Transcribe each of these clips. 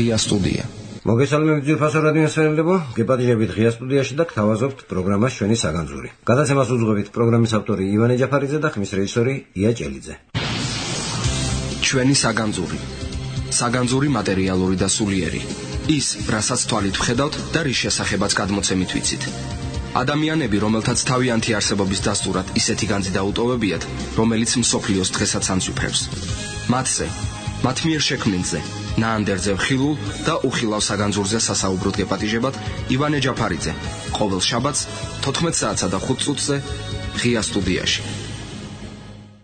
ღია სტუდია. მოგესალმებით ძვირფასო რადიოსმენელებო, გეპატიჟებით ღია სტუდიაში და გთავაზობთ პროგრამას ჩვენი საგანძური. გადაცემას უძღვებით პროგრამის ავტორი ივანე ჯაფარიძე და ხმის რეჟისორი ია ჭელიძე. ჩვენი საგანძური. საგანძური მატერიალური და სულიერი. ის, რასაც თვალით ვხედავთ და რის შესახებაც გადმოცემით ვიცით. ადამიანები, რომელთაც თავიანთი არსებობის დასტურად ისეთი განძი დაუტოვებიათ, რომელიც მსოფლიოს დღესაც ამსუფრებს. მათზე, მათ მიერ შექმნილზე, ნაანდერძე ხილულ და უხილავ საგანძურზე სასაუბროდ გეპატიჟებათ ივანე ჯაფარიძე. ყოველ შაბათს 14 საათსა და 5 წუთზე ღია სტუდიაში.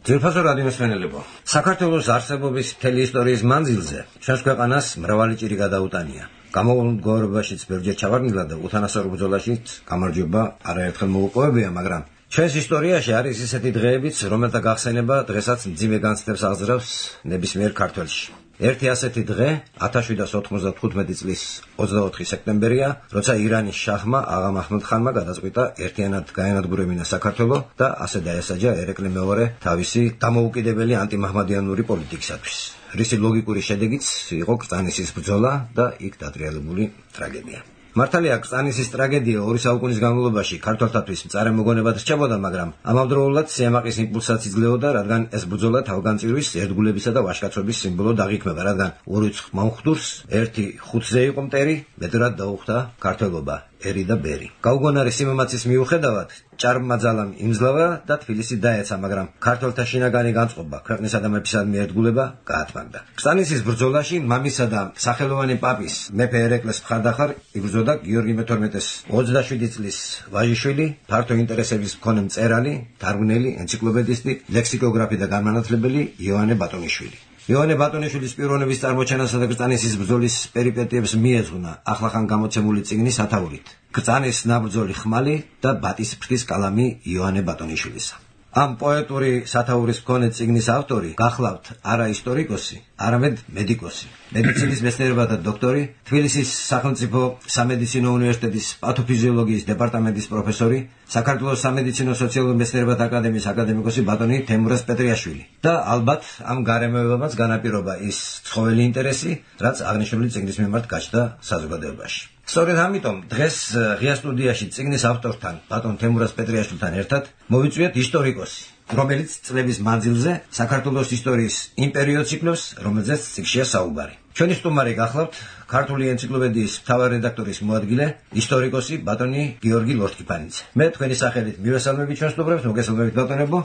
ძვირფასო რადიოსმენელებო, საქართველოს არსებობის მთელი ისტორიის მანძილზე ჩვენს ქვეყანას მრავალი ჭირი გადაუტანია. გამოვლენილ მდგომარეობაშიც ბევრჯერ ჩავარდნილა და უთანასწორო ბრძოლაშიც გამარჯვება არაერთხელ მოუპოვებია, მაგრამ ჩვენს ისტორიაში არის ისეთი დღეებიც, რომელთა გახსენება დღესაც მძიმე განცდებს აღძრავს ნებისმიერ ქართველში. ერთი ასეთი დღე 1795 წლის 24 სექტემბერია, როცა ირანის შაჰმა აღა მაჰმუდ-ხანმა გადაწყვიტა ერთიანად გაენადგურებინა საქართველო და ასე დაესაჯა ერეკლე მეორე თავისი დამოუკიდებელი ანტიმაჰმადიანური პოლიტიკისათვის. რისი ლოგიკური შედეგიც იყო კრწანისის ბრძოლა და იქ დატრიალებული ტრაგედია. მართალია, კრწანისის ტრაგედია 2 საუკუნის განმავლობაში ქართველთათვის მწარე მოგონებად რჩებოდა, მაგრამ ამავდროულად სიამაყის იმპულსაც იძლეოდა, რადგან ეს ბრძოლა თავგანწირვის, ერთგულებისა და ვაჟკაცობის სიმბოლოდ აღიქმება, რადგან ორი მომხდურს ერთი ხუთზე იყო მტერი, მეტად დაუხდა ქართველობა, ერი და ბერი. გაუგონარი სიმამაცის მიუხედავად, ჭარბმა ძალამ იმძლავა და თბილისი დაეცა, მაგრამ ქართველთა შინაგანი განწყობა, ქვეყნისა და მეფისადმი ერთგულება გაათმაგდა. კრწანისის ბრძოლაში მამისა და სახელოვანი პაპის მეფე ერეკლეს მხარდახარ იბრძოდა გიორგი მე-12-ის 27 წლის ვაჟიშვილი, ფართო ინტერესების მქონე მწერალი, თარგმნელი, ენციკლოპედისტი, ლექსიკოგრაფი და განმანათლებელი იოანე ბატონიშვილი. იოანე ბატონიშვილის პიროვნების წარმოჩენასა და კრწანისის ბრძოლის პერიპეტიებს მიეძღვნა ახლახან გამოცემული წიგნის ათაურით. კრწანის ნაბრძოლი ხმალი და ბატის ფრთის კალამი იოანე ბატონიშვილისა. ამ პოეტური სათაურის მქონე წიგნის ავტორი გახლავთ არა ისტორიკოსი, არამედ მედიკოსი, მედიცინის მეცნიერებათა დოქტორი, თბილისის სახელმწიფო სამედიცინო უნივერსიტეტის პათოფიზიოლოგიის დეპარტამენტის პროფესორი, საქართველოს სამედიცინო სოციალურ მეცნიერებათა აკადემიის აკადემიკოსი ბატონი თემურაზ პეტრიაშვილი. და ალბათ ამ გარემოებამაც განაპირობა ის ცხოველი ინტერესი, რაც აღნიშნული წიგნის მიმართ გაჩნდა საზოგადოებაში. სწორედ ამიტომ დღეს ღია სტუდიაში წიგნის ავტორთან, ბატონ თემურაზ პეტრიაშვილთან ერთად მოვიწვიეთ ისტორიკოსი, რომელიც წლების მანძილზე საქართველოს ისტორიის იმ პერიოდს იკვლევს, რომელზეც წიგნშია საუბარი. ჩვენი სტუმარი გახლავთ ქართული ენციკლოპედიის მთავარ რედაქტორის მოადგილე, ისტორიკოსი ბატონი გიორგი ლორთქიფანიძე. მე თქვენი სახელით მივესალმებით ჩვენს სტუმრებს, მოგესალმებით ბატონებო.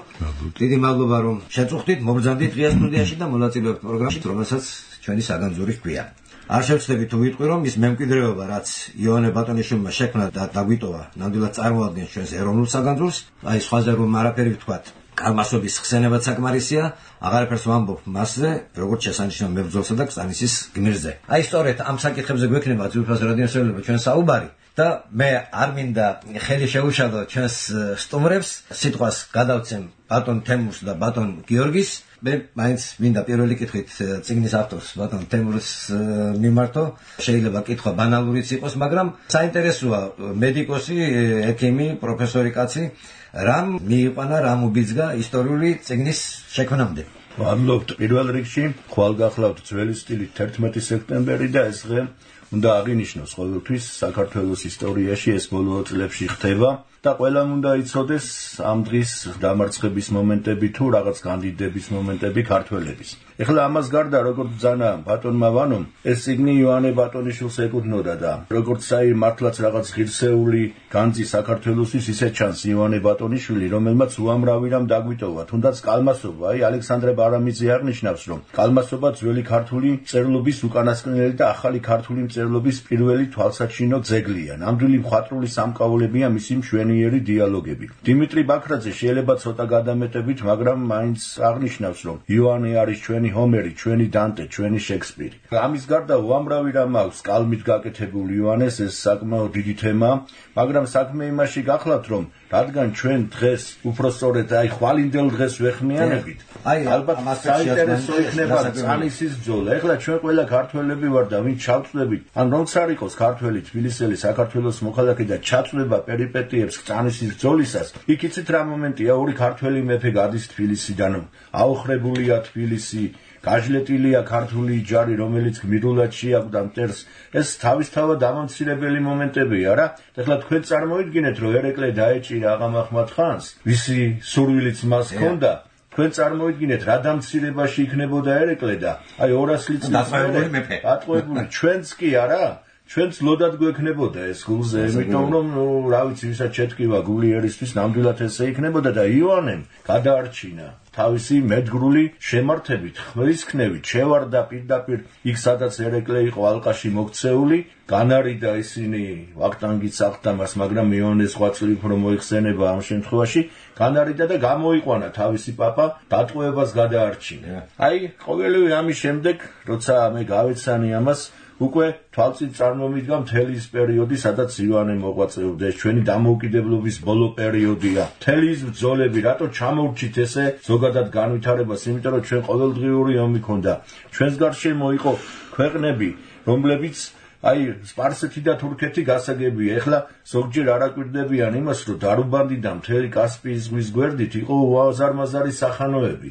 დიდი მადლობა რომ შეწუხდით, მობრძანდით ღია სტუდიაში და მონაწილეობთ პროგრამაში, რომელსაც ჩვენი საგანძური ჰქვია. არ შევცდები თუ ვიტყვი, რომ ის მემკვიდრეობა, რაც იოანე ბატონიშვილმა შექმნა და დაგვიტოვა, ნამდვილად წარმოადგენს ჩვენს ეროვნულ საგანძურს, აი სხვაზე რომ არაფერი ვთქვათ, კალმასობის ხსენებაც საკმარისია, აღარაფერს ვამბობ მასზე, როგორც შესანიშნავ მებრძოლსა და კრწანისის გმირზე. აი სწორედ ამ საკითხებზე გვექნება ძვირფასო რადიოსმენელებო ჩვენ საუბარი და მე არ მინდა ხელი შეუშალო ჩვენს სტუმრებს, სიტყვას გადავცემ ბატონ თემურს და ბატონ გიორგის. მე მაინც მინდა პირველი კითხვით წიგნის ავტორს ბატონ თემურს მიმართო. შეიძლება კითხვა ბანალურიც იყოს, მაგრამ საინტერესოა, მედიკოსი, ექიმი, პროფესორი კაცი, რამ მიიყვანა, რამ უბიძგა ისტორიული წიგნის შექმნამდე? მადლობთ პირველ რიგში, ხვალ გახლავთ ძველი სტილით 11 სექტემბერი და ეს დღე უნდა აღინიშნოს ყოველთვის საქართველოს ისტორიაში, ეს ბოლო წლებში ხდება და ყველამ უნდა იცოდეს ამ დღის დამარცხების მომენტები თუ რაღაც კანდიდების მომენტები ქართველების. ეხლა ამას გარდა, როგორც ბრძანა ბატონმა ვანომ, ეს წიგნი იოანე ბატონიშვილს ეკუთვნოდა და როგორც აი მართლაც რაღაც ღირსეული განძი საქართველოსთვის, ისე ჩანს იოანე ბატონიშვილი, რომელმაც უამრავი რამ დაგვიტოვა, თუნდაც კალმასობა. აი ალექსანდრე ბარამიძე აღნიშნავს, რომ კალმასობა ძველი ქართული მწერლობის უკანასკნელი და ახალი ქართული მწერლობის პირველი თვალსაჩინო ძეგლია. ნამდვილი მხატვრული სამკაულებია მისი მშვენიერი დიალოგები. დიმიტრი ბაქრაძე შეიძლება ცოტა გადამეტებით, მაგრამ მაინც აღნიშნავს, რომ იოანე არის ჩვენი ჰომერი, ჩვენი დანტე, ჩვენი შექსპირი. ამის გარდა უამრავი რამ აქვს კალმით გაკეთებული იოანეს, ეს საკმაოდ დიდი თემაა, მაგრამ საქმე იმაში გახლავთ, რომ რადგან ჩვენ დღეს უпростоრეთ აი ხვალინდელ დღეს ვეხმიანებით, აი ალბათ საინტერესო იქნება კრწანისის ბრძოლა. ეხლა ჩვენ ყველა ქართველები ვარ და ვინც ჩავწვდებით, ან რომც არ იყოს ქართველი, თბილისელი, საქართველოს მოქალაქე და ჩაწვდება პერიპეტიებს კრწანისის ბრძოლისას, იქ იცით რა მომენტია, ორი ქართველი მეფე გადის თბილისიდან, აოხრებულია თბილისი, გაჟლეტილია ქართული ჯარი, რომელიც გმირულად შეაკვდა მტერს. ეს თავისთავად დამამცირებელი მომენტებია რა. ეხლა თქვენ წარმოიდგინეთ, რომ ერეკლე დაეჭირა აღამაჰმად ხანს, ვისი სურვილიც მას ჰქონდა. თქვენ წარმოიდგინეთ, რა დამცირებაში იქნებოდა ერეკლე და აი 200 წლის ატყვებული ჩვენც კი არა? ჩვენც ლოდად გვექნებოდა ეს გულზე, იმიტომ რომ რა ვიცი, ვისაც შეთქივა გული ერისთვის ნამდვილად ესე იქნებოდა და ივანემ გადაარჩინა თავისი მედგრული შემართებით, ხმისქნევით, შევარდა პირდაპირ იქ, სადაც ერეკლე იყო ალყაში მოქცეული, განარიდა ისინი ვახტანგიც აღდა მას, მაგრამ ივანეს ღვაწლი უფრო მოიხსენება ამ შემთხვევაში, განარიდა და გამოიყვანა თავისი პაპა, დატყვევებას გადაარჩინა. აი, ყოველივე ამის შემდეგ, როცა მე გავეცანი ამას, უკვე თვალწინ წარმომიდგა მთელი ის პერიოდი, სადაც ივანე მოღვაწეობდა. ეს ჩვენი დამოუკიდებლობის ბოლო პერიოდია. მთელი ის ბრძოლები, რატო ჩამოვრჩით ესე ზოგადად განვითარებას, იმიტომ რომ ჩვენ ყოველდღიური ომი ქონდა. ჩვენს გარშემო იყო ქვეყნები, რომლებიც აი სპარსეთი და თურქეთი გასაგებია. ეხლა ზოგჯერ არაკვირდებიან იმას, რომ დარუბანდიდან მთელი კასპიის ზღვის გვერდით იყო უაზარმაზარი სახანოები.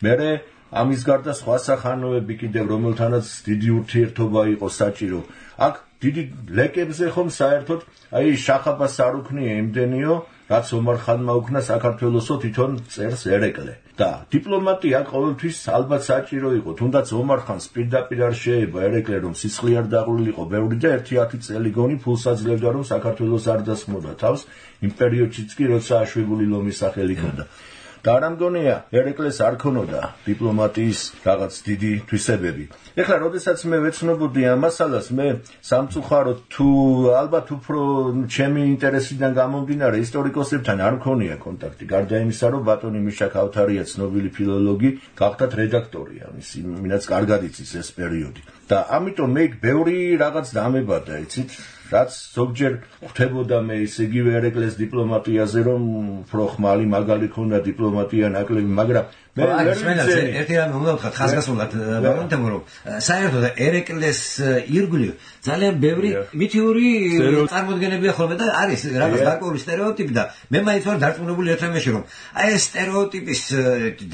მერე ამის გარდა სხვა სახანოები კიდევ, რომელთანაც დიდი ურთიერთობა იყო საჭირო. აქ დიდი ლეკებზე ხომ საერთოდ აი შახაბას არ უქნია იმდენიო, რაც ომარ-ხანმა უქნა საქართველოსო თვითონ წერს ერეკლე. და დიპლომატია ყოველთვის ალბათ საჭირო იყო, თუნდაც ომარ-ხანს პირდაპირ არ შეება ერეკლე, რომ სისხლი არ დაყრილიყო ბევრი და 1-10 წელი გონი ფულს აძლევდა, რომ საქართველოს არ დასხმოდა თავს იმ პერიოდშიც კი, როცა აშვებული ლომის სახელი ჰქონდა. და არ ამგონია ერეკლეს არ ქონოდა დიპლომატიის რაღაც დიდი თვისებები. ეხლა როდესაც მე ვეცნობოდი ამ მასალას, მე სამწუხაროდ თუ ალბათ უფრო ჩემი ინტერესიდან გამომდინარე ისტორიკოსებთან არ მქონია კონტაქტი, გარდა იმისა, რომ ბატონი მიშა ქავთარია ცნობილი ფილოლოგი, გახდათ რედაქტორი ამის, ვინაც კარგად იცის ეს პერიოდი. და ამიტომ მე ბევრი რაღაც დამებადა, იცით, რაც ზოგჯერ ხვდებოდა მე ისე იგივე ერეკლეს დიპლომატიაზე, რომ უფრო ხმალი მაგალი ქონდა დიპლომატია ნაკლები, მაგრამ მე ერთი რამე უნდა ვთქვა ხაზგასმულად, ბატონო, რომ საერთოდ ერეკლეს ირგვლივ ძალიან ბევრი მითიური წარმოდგენებია ხოლმე და არის რაღაც გარკვეული სტერეოტიპი და მე მაინც ვარ დარწმუნებული ერთ რამეში, რომ აი ეს სტერეოტიპის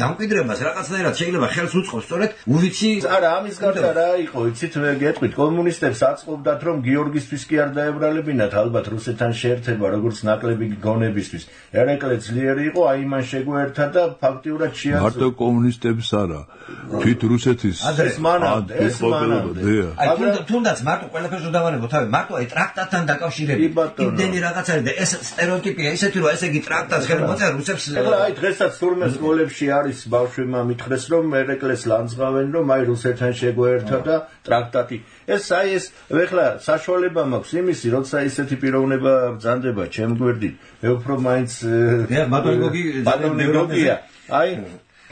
დამკვიდრებას რაღაცნაირად შეიძლება ხელს უწყობს სწორედ უვიცი. არა, ამის გარდა რა იყო, იცით, მე გეტყვით, კომუნისტებს აწყობდათ, რომ გიორგისთვის კი არ დაებრალებინათ ალბათ რუსეთთან შეერთება, როგორც ნაკლები გონებისთვის. ერეკლე ძლიერი იყო, აი მან შეგვერთა და ფაქტიურად შეაძლო. მარტო კომუნისტებს არა, თვით რუსეთის ეს მანამდე. აი თუნდაც მარტო ყველაფერს დავანებო თავი, მარტო აი ტრაქტატთან დაკავშირებით. იმდენი რაღაც არის და ეს სტერეოტიპია ისეთი, რომ ესე იგი ტრაქტატს ხელი მოწერა რუსებს. ეხლა აი დღესაც თურმე სკოლებში არის ბავშვებმა მითხრეს, რომ ერეკლეს ლანძღავენ, რომ აი რუსეთთან შეგვერთა და ტრაქტატი. ეს აი ეს ეხლა საშუალება მაქვს იმისი, როცა ისეთი პიროვნება ბრძანდება ჩემ გვერდით. მე უფრო მაინც ბატონი გოგია. აი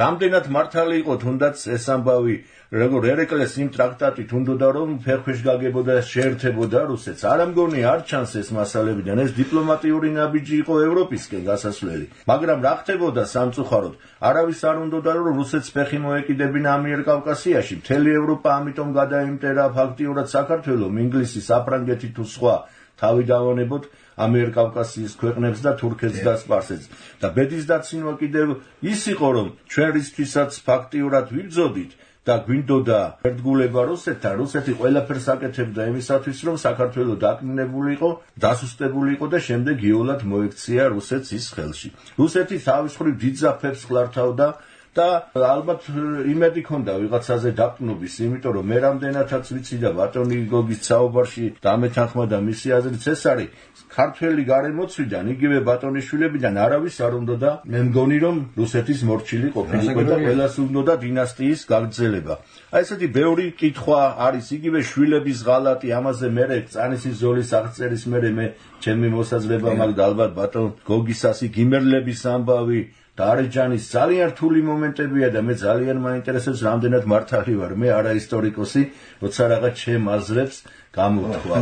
რამდენად მართალი იყო თუნდაც ეს ამბავი, როგორ ერეკლეს იმ ტრაქტატით უნდოდა რომ ფერქვეშ გაგებოდა შეერთებოდა რუსეთს. არ ამგონი არ ჩანს ეს მასალებიდან, ეს დიპლომატიური ნაბიჯი იყო ევროპისკენ გასასვლელი. მაგრამ რა ხდებოდა სამწუხაროდ, არავის არ უნდოდა რომ რუსეთს ფეხი მოეკიდებინა ამიერკავკასიაში. მთელი ევროპა ამიტომ გადაიმტერა ფაქტიურად საქართველოს, ინგლისი, საფრანგეთი თუ სხვა თავი დავანებოთ ამიერკავკასიის ქვეყნებს და თურქეთს და სპარსეთს. და ბედის დაცინვა კიდევ ის იყო, რომ ჩვენ რისთვისაც ფაქტიურად ვიბრძოდით და გვინდოდა ერთგულება რუსეთთან, რუსეთი ყველაფერს აკეთებდა იმისათვის, რომ საქართველო დაკნინებული იყო, დასუსტებული იყო და შემდეგ იოლად მოექცია რუსეთს ის ხელში. რუსეთი თავის მხრივ დიდ ძაფებს ხლართავდა და ალბათ იმედი ქონდა ვიღაცაზე დაკნობის, იმიტომ რომ მე რამდენადაც ვიცი და ბატონი გოგის საუბარში დამეთანხმა და მისი აზრიც ეს არის, ქართველი გარემოცვიდან, იგივე ბატონიშვილებიდან არავის არ უნდოდა, მე მგონი რომ რუსეთის მორჩილი ყოფილიყო და ყველას უნდოდა დინასტიის გაგრძელება. აი ესეთი ბევრი კითხვა არის, იგივე შვილების ღალატი, ამაზე მერე წანისის ზოლის აღწერის მერე მე ჩემი მოსაზრება მაქვს და ალბათ ბატონ გოგისასი გიმერლების ამბავი და არეჯანის ძალიან რთული მომენტებია და მე ძალიან მაინტერესებს რამდენად მართალი ვარ, მე არა ისტორიკოსი, როცა რაღაც ჩემ აზრებს გამოთქვა.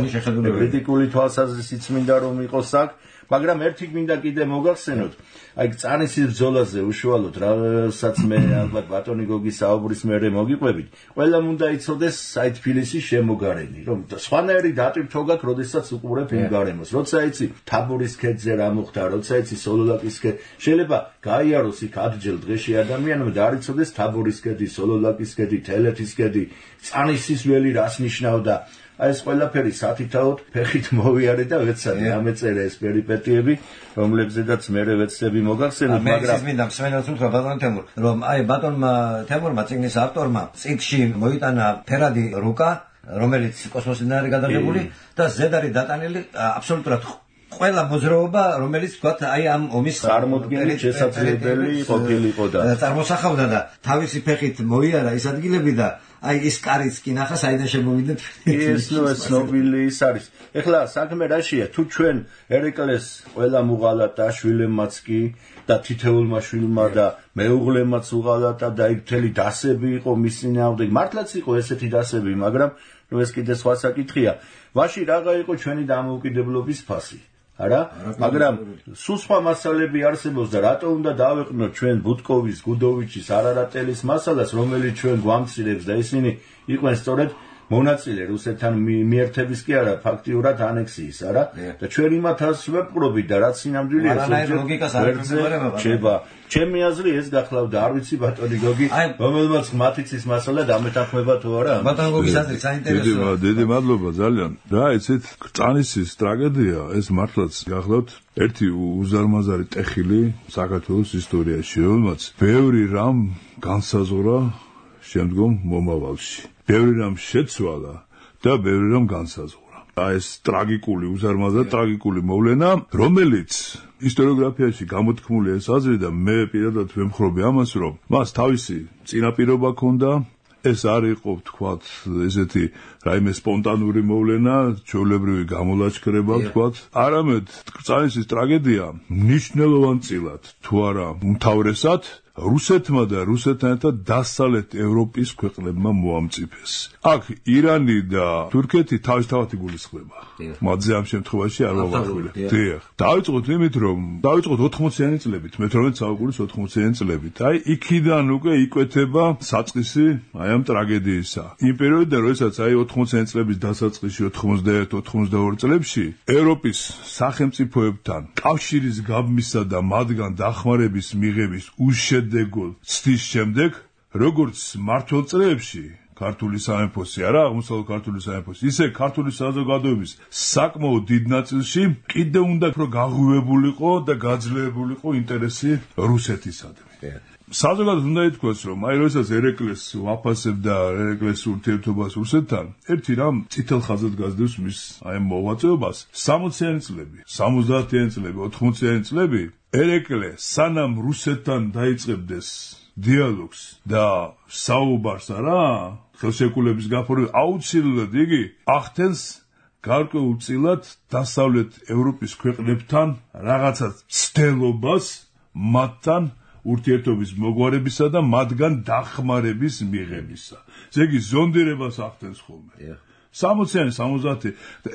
კრიტიკული თვალსაზრისით მინდა რომ იყოს აქ, მაგრამ ერთი მინდა კიდე მოგახსენოთ, აი წანისის ბრძოლაზე უშუალოდ რასაც მე ალბათ ბატონი გოგის საუბრის მერე მოგიყვებით, ყველამ უნდა იცოდეს აი თბილისის შემოგარენი, რომ სხვანაირი დატვირთვა გაქვს, როდესაც უყურებ იმ გარემოს. როცა იცი თაბორის ქედზე რა მოხდა, როცა იცი სოლოლაკის ქედზე, შეიძლება გაიაროს იქ ადჯელ დღეში ადამიანმა და არ იცოდეს თაბორის ქედი, სოლოლაკის ქედი, თელეთის ქედი, წანისის ველი რას ნიშნავდა. აი ეს ყველაფერი სათითაოდ ფეხით მოვიარე და ვეცადე ამეწერე ეს პერიპეტიები, რომლებზედაც მერე ვეცდები მოგახსენოთ, მაგრამ მინდა მსმენელს უთხრა ბატონ თემურ, რომ აი ბატონმა თემურმა წიგნის ავტორმა წიგნში მოიტანა ფერადი რუკა, რომელიც კოსმოსიდან არის გადაღებული და ზედარი დატანილი აბსოლუტურად ყველა მოძრაობა, რომელიც თქვათ აი ამ ომის წარმოდგენით შესაძლებელი ყოფილიყო და წარმოსახავდა და თავისი ფეხით მოიარა ის ადგილები და აი ის კარიც კი ნახა საიდან შემოვიდეთ. ეს ცნობილი ის არის. ეხლა საქმე რაშია? თუ ჩვენ ერეკლეს ყველა მუღალატ და შვილებმაც კი და თითეულმა შვილმა და მეუღლემაც უღალატა და იქ მთელი დასები იყო მის წინააღმდეგ. მართლაც იყო ესეთი დასები, მაგრამ ნუ ეს კიდე სხვა საკითხია. ვაში რაღა იყო ჩვენი დამოუკიდებლობის ფასი? არა, მაგრამ სულ სხვა მასალები არსებობს და რატო უნდა დავეყნოთ ჩვენ ბუტკოვის, გუდოვიჩის, არარატელის მასალას, რომელიც ჩვენ გვამცირებს და ისინი იყვნენ სწორედ მონაწილე რუსეთთან მიერთების კი არა, ფაქტიურად ანექსიის, არა? და ჩვენ იმათაც ვეპყრობით და რაც სინამდვილეა, რჩება. ჩემი აზრი ეს გახლავდა, არ ვიცი ბატონი გოგი, რომელმაც მათიცის მასალა დამეთანხმება თუ არა? ბატონ გოგის აზრი საინტერესოა. დიდი მადლობა ძალიან. რა იცით, წანისის ტრაგედია ეს მართლაც გახლავთ ერთი უზარმაზარი ტეხილი საქართველოს ისტორიაში, რომელმაც ბევრი რამ განსაზღვრა შემდგომ მომავალში. ბევრი რამ შეცვალა და ბევრი რამ განსაზღვრა. ეს ტრაგიკული, უზარმაზარ ტრაგიკული მოვლენა, რომელიც ისტორიოგრაფიაში გამოთქმული ეს აზრი და მე პირადად ვემხრობი ამას, რომ მას თავისი წინაპირობა ჰქონდა, ეს არ იყო, თქვათ, ესეთი რაიმე სპონტანური მოვლენა, ჩვეულებრივი გამოლაშქრება, თქვათ, არამედ წანისის ტრაგედია მნიშვნელოვანწილად, თუ არა უმთავრესად რუსეთმა და რუსეთთან ერთად დასავლეთ ევროპის ქვეყნებმა მოამწიფეს. აქ ირანი და თურქეთი თავისთავად იგულისხმება. მათზე ამ შემთხვევაში არ ვავახვილებ. დიახ. დავიწყოთ იმით, რომ დავიწყოთ 80-იანი წლებით, მე-18 საუკუნის 80-იანი წლებით. აი, იქიდან უკვე იკვეთება საწყისი აი ამ ტრაგედიისა. იმ პერიოდიდან, როდესაც აი 80-იანი წლების დასაწყისში 91-92 წლებში ევროპის სახელმწიფოებთან კავშირის გაბმისა და მათგან დახმარების მიღების უშედეგო ცდის შემდეგ, როგორც მართლ წლებში ქართული სამეფოსი, არა, აღმოსავლეთ ქართული სამეფოსი, ისე ქართული საზოგადოების საკმაოდ დიდ ნაწილში კიდევ უნდა უფრო გაღვივებულიყო და გაძლიერებულიყო ინტერესი რუსეთისადმი. საზოგადოდ უნდა ითქვას, რომ აი როდესაც ერეკლეს ვაფასებდა ერეკლეს ურთიერთობას რუსეთთან, ერთი რამ წითელ ხაზად გასდევს მის აი მოღვაწეობას 60-იანი წლები, 70-იანი წლები, 80-იანი წლები, ერეკლე სანამ რუსეთთან დაიწყებდეს დიალოგს და საუბარს, არა, ხელშეკრულების გაფორმება, აუცილებლად იგი ახდენს გარკვეულწილად დასავლეთ ევროპის ქვეყნებთან რაღაცა ცდელობას მათთან ურთიერთობის მოგვარებისა და მათგან დახმარების მიღებისა. ესე იგი ზონდირებას ახდენს ხოლმე. 60-იანი, 70-იანი.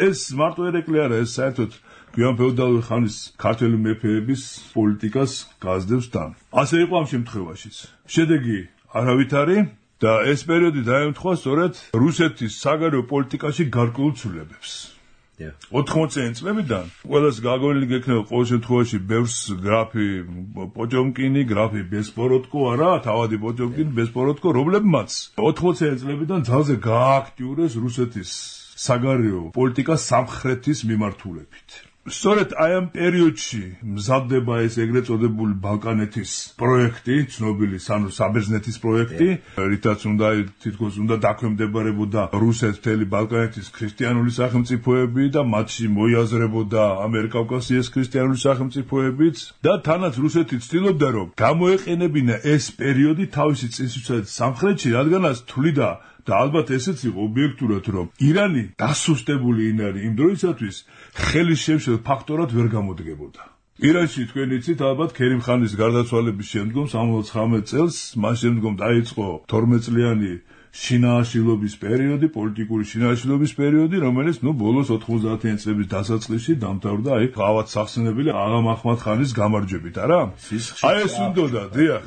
ეს მარტო ერეკლე არა, ეს საერთოდ გვიან ფეოდალური ხანის ქართველი მეფეების პოლიტიკას გასდევს თან. ასე იყო ამ შემთხვევაშიც. შედეგი არავითარი და ეს პერიოდი დაემთხვა სწორედ რუსეთის საგარეო პოლიტიკაში გარკვეულ ცვლილებებს. 80-იანი წლებიდან ყველას გაგონილი გექნება ყოველ შემთხვევაში ბევრს გრაფი პოჭომკინი, გრაფი ბესპოროდკო, არა, თავადი პოჭომკინი, ბესპოროდკო, რომლებმაც 80-იანი წლებიდან ძალზე გააქტიურეს რუსეთის საგარეო პოლიტიკა სამხრეთის მიმართულებით. სწორედ აი ამ პერიოდში მზადდება ეს ეგრეთ წოდებული ბალკანეთის პროექტი, ცნობილი საბერძნეთის პროექტი, რითაც უნდა თითქოს უნდა დაქვემდებარებოდა რუსეთ მთელი ბალკანეთის ქრისტიანული სახელმწიფოები და მათში მოიაზრებოდა ამიერკავკასიის ქრისტიანული სახელმწიფოებიც და თანაც რუსეთი ცდილობდა რომ გამოეყენებინა ეს პერიოდი თავისი წინსვისად სამხრეთში, რადგანაც თვლიდა და ალბათ ესეც იყო ობიექტურად, რომ ირანი დასუსტებული ინარი იმ დროისათვის ხელის შემშელ ფაქტორად ვერ გამოდგებოდა. ირანში თქვენ იცით, ალბათ ქერიმ ხანის გარდაცვალების შემდგომ 79 წელს, მას შემდგომ დაიწყო 12 წლიანი შინაარსილობის პერიოდი, პოლიტიკური შინაარსილობის პერიოდი, რომელიც ბოლოს 90-იან წლების დასაწყისში დამთავრდა ავად სახსენებელი აღამ აჰმად-ხანის გამარჯვებით, არა? აი ეს უნდოდა, დიახ,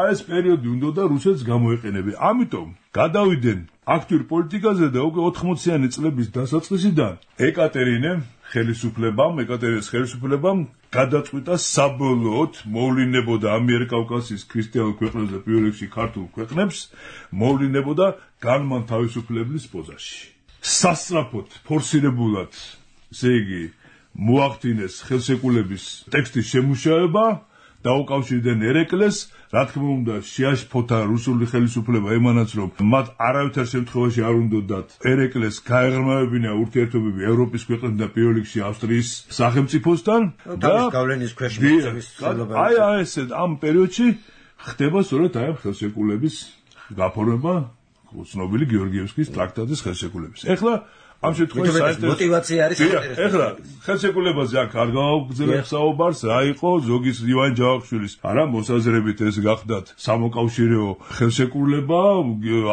აი ეს პერიოდი უნდოდა რუსეთს გამოეყენებინა. ამიტომ გადავიდნენ აქტიურ პოლიტიკაზე და უკვე 80-იანი წლების დასაწყისიდან ეკატერინეს ხელისუფლებამ გადაწყვიტა საბოლოოდ მოვლინებოდა ამიერკავკასიის ქრისტიანულ ქვეყნებს და პირველ რიგში ქართულ ქვეყნებს მოვლინებოდა განმან თავისუფლების პოზაში. სასწრაფოდ, ფორსირებულად, ესე იგი, მოახდინეს ხელშეკრულების ტექსტის შემუშავება, დაუკავშირდნენ ერეკლეს, რა თქმა უნდა, შეაშფოთა რუსული ხელისუფლება იმანაც, რომ მათ არავითარ შემთხვევაში არ უნდათ ერეკლეს გაეღრმავებინა ურთიერთობები ევროპის ქვეყნებთან და პირველ რიგში ავსტრიის სახელმწიფოსთან და გავლენის ქვეშ მოწმის ცდილობა. აი ეს ამ პერიოდში ხდება სწორედ აი ხელშეკრულების გაფორმება ცნობილი გეორგიევსკის ტრაქტატის ხელშეკრულების. ეხლა ამ შემთხვევაში მოტივაცია არის საინტერესო. ეხლა ხელშეკრულებაზე აქ არ გავაგრძელებ საუბარს, რა იყო ზოგის ივან ჯავახიშვილის არა მოსაზრებით ეს გახდათ სამოკავშირეო ხელშეკრულება,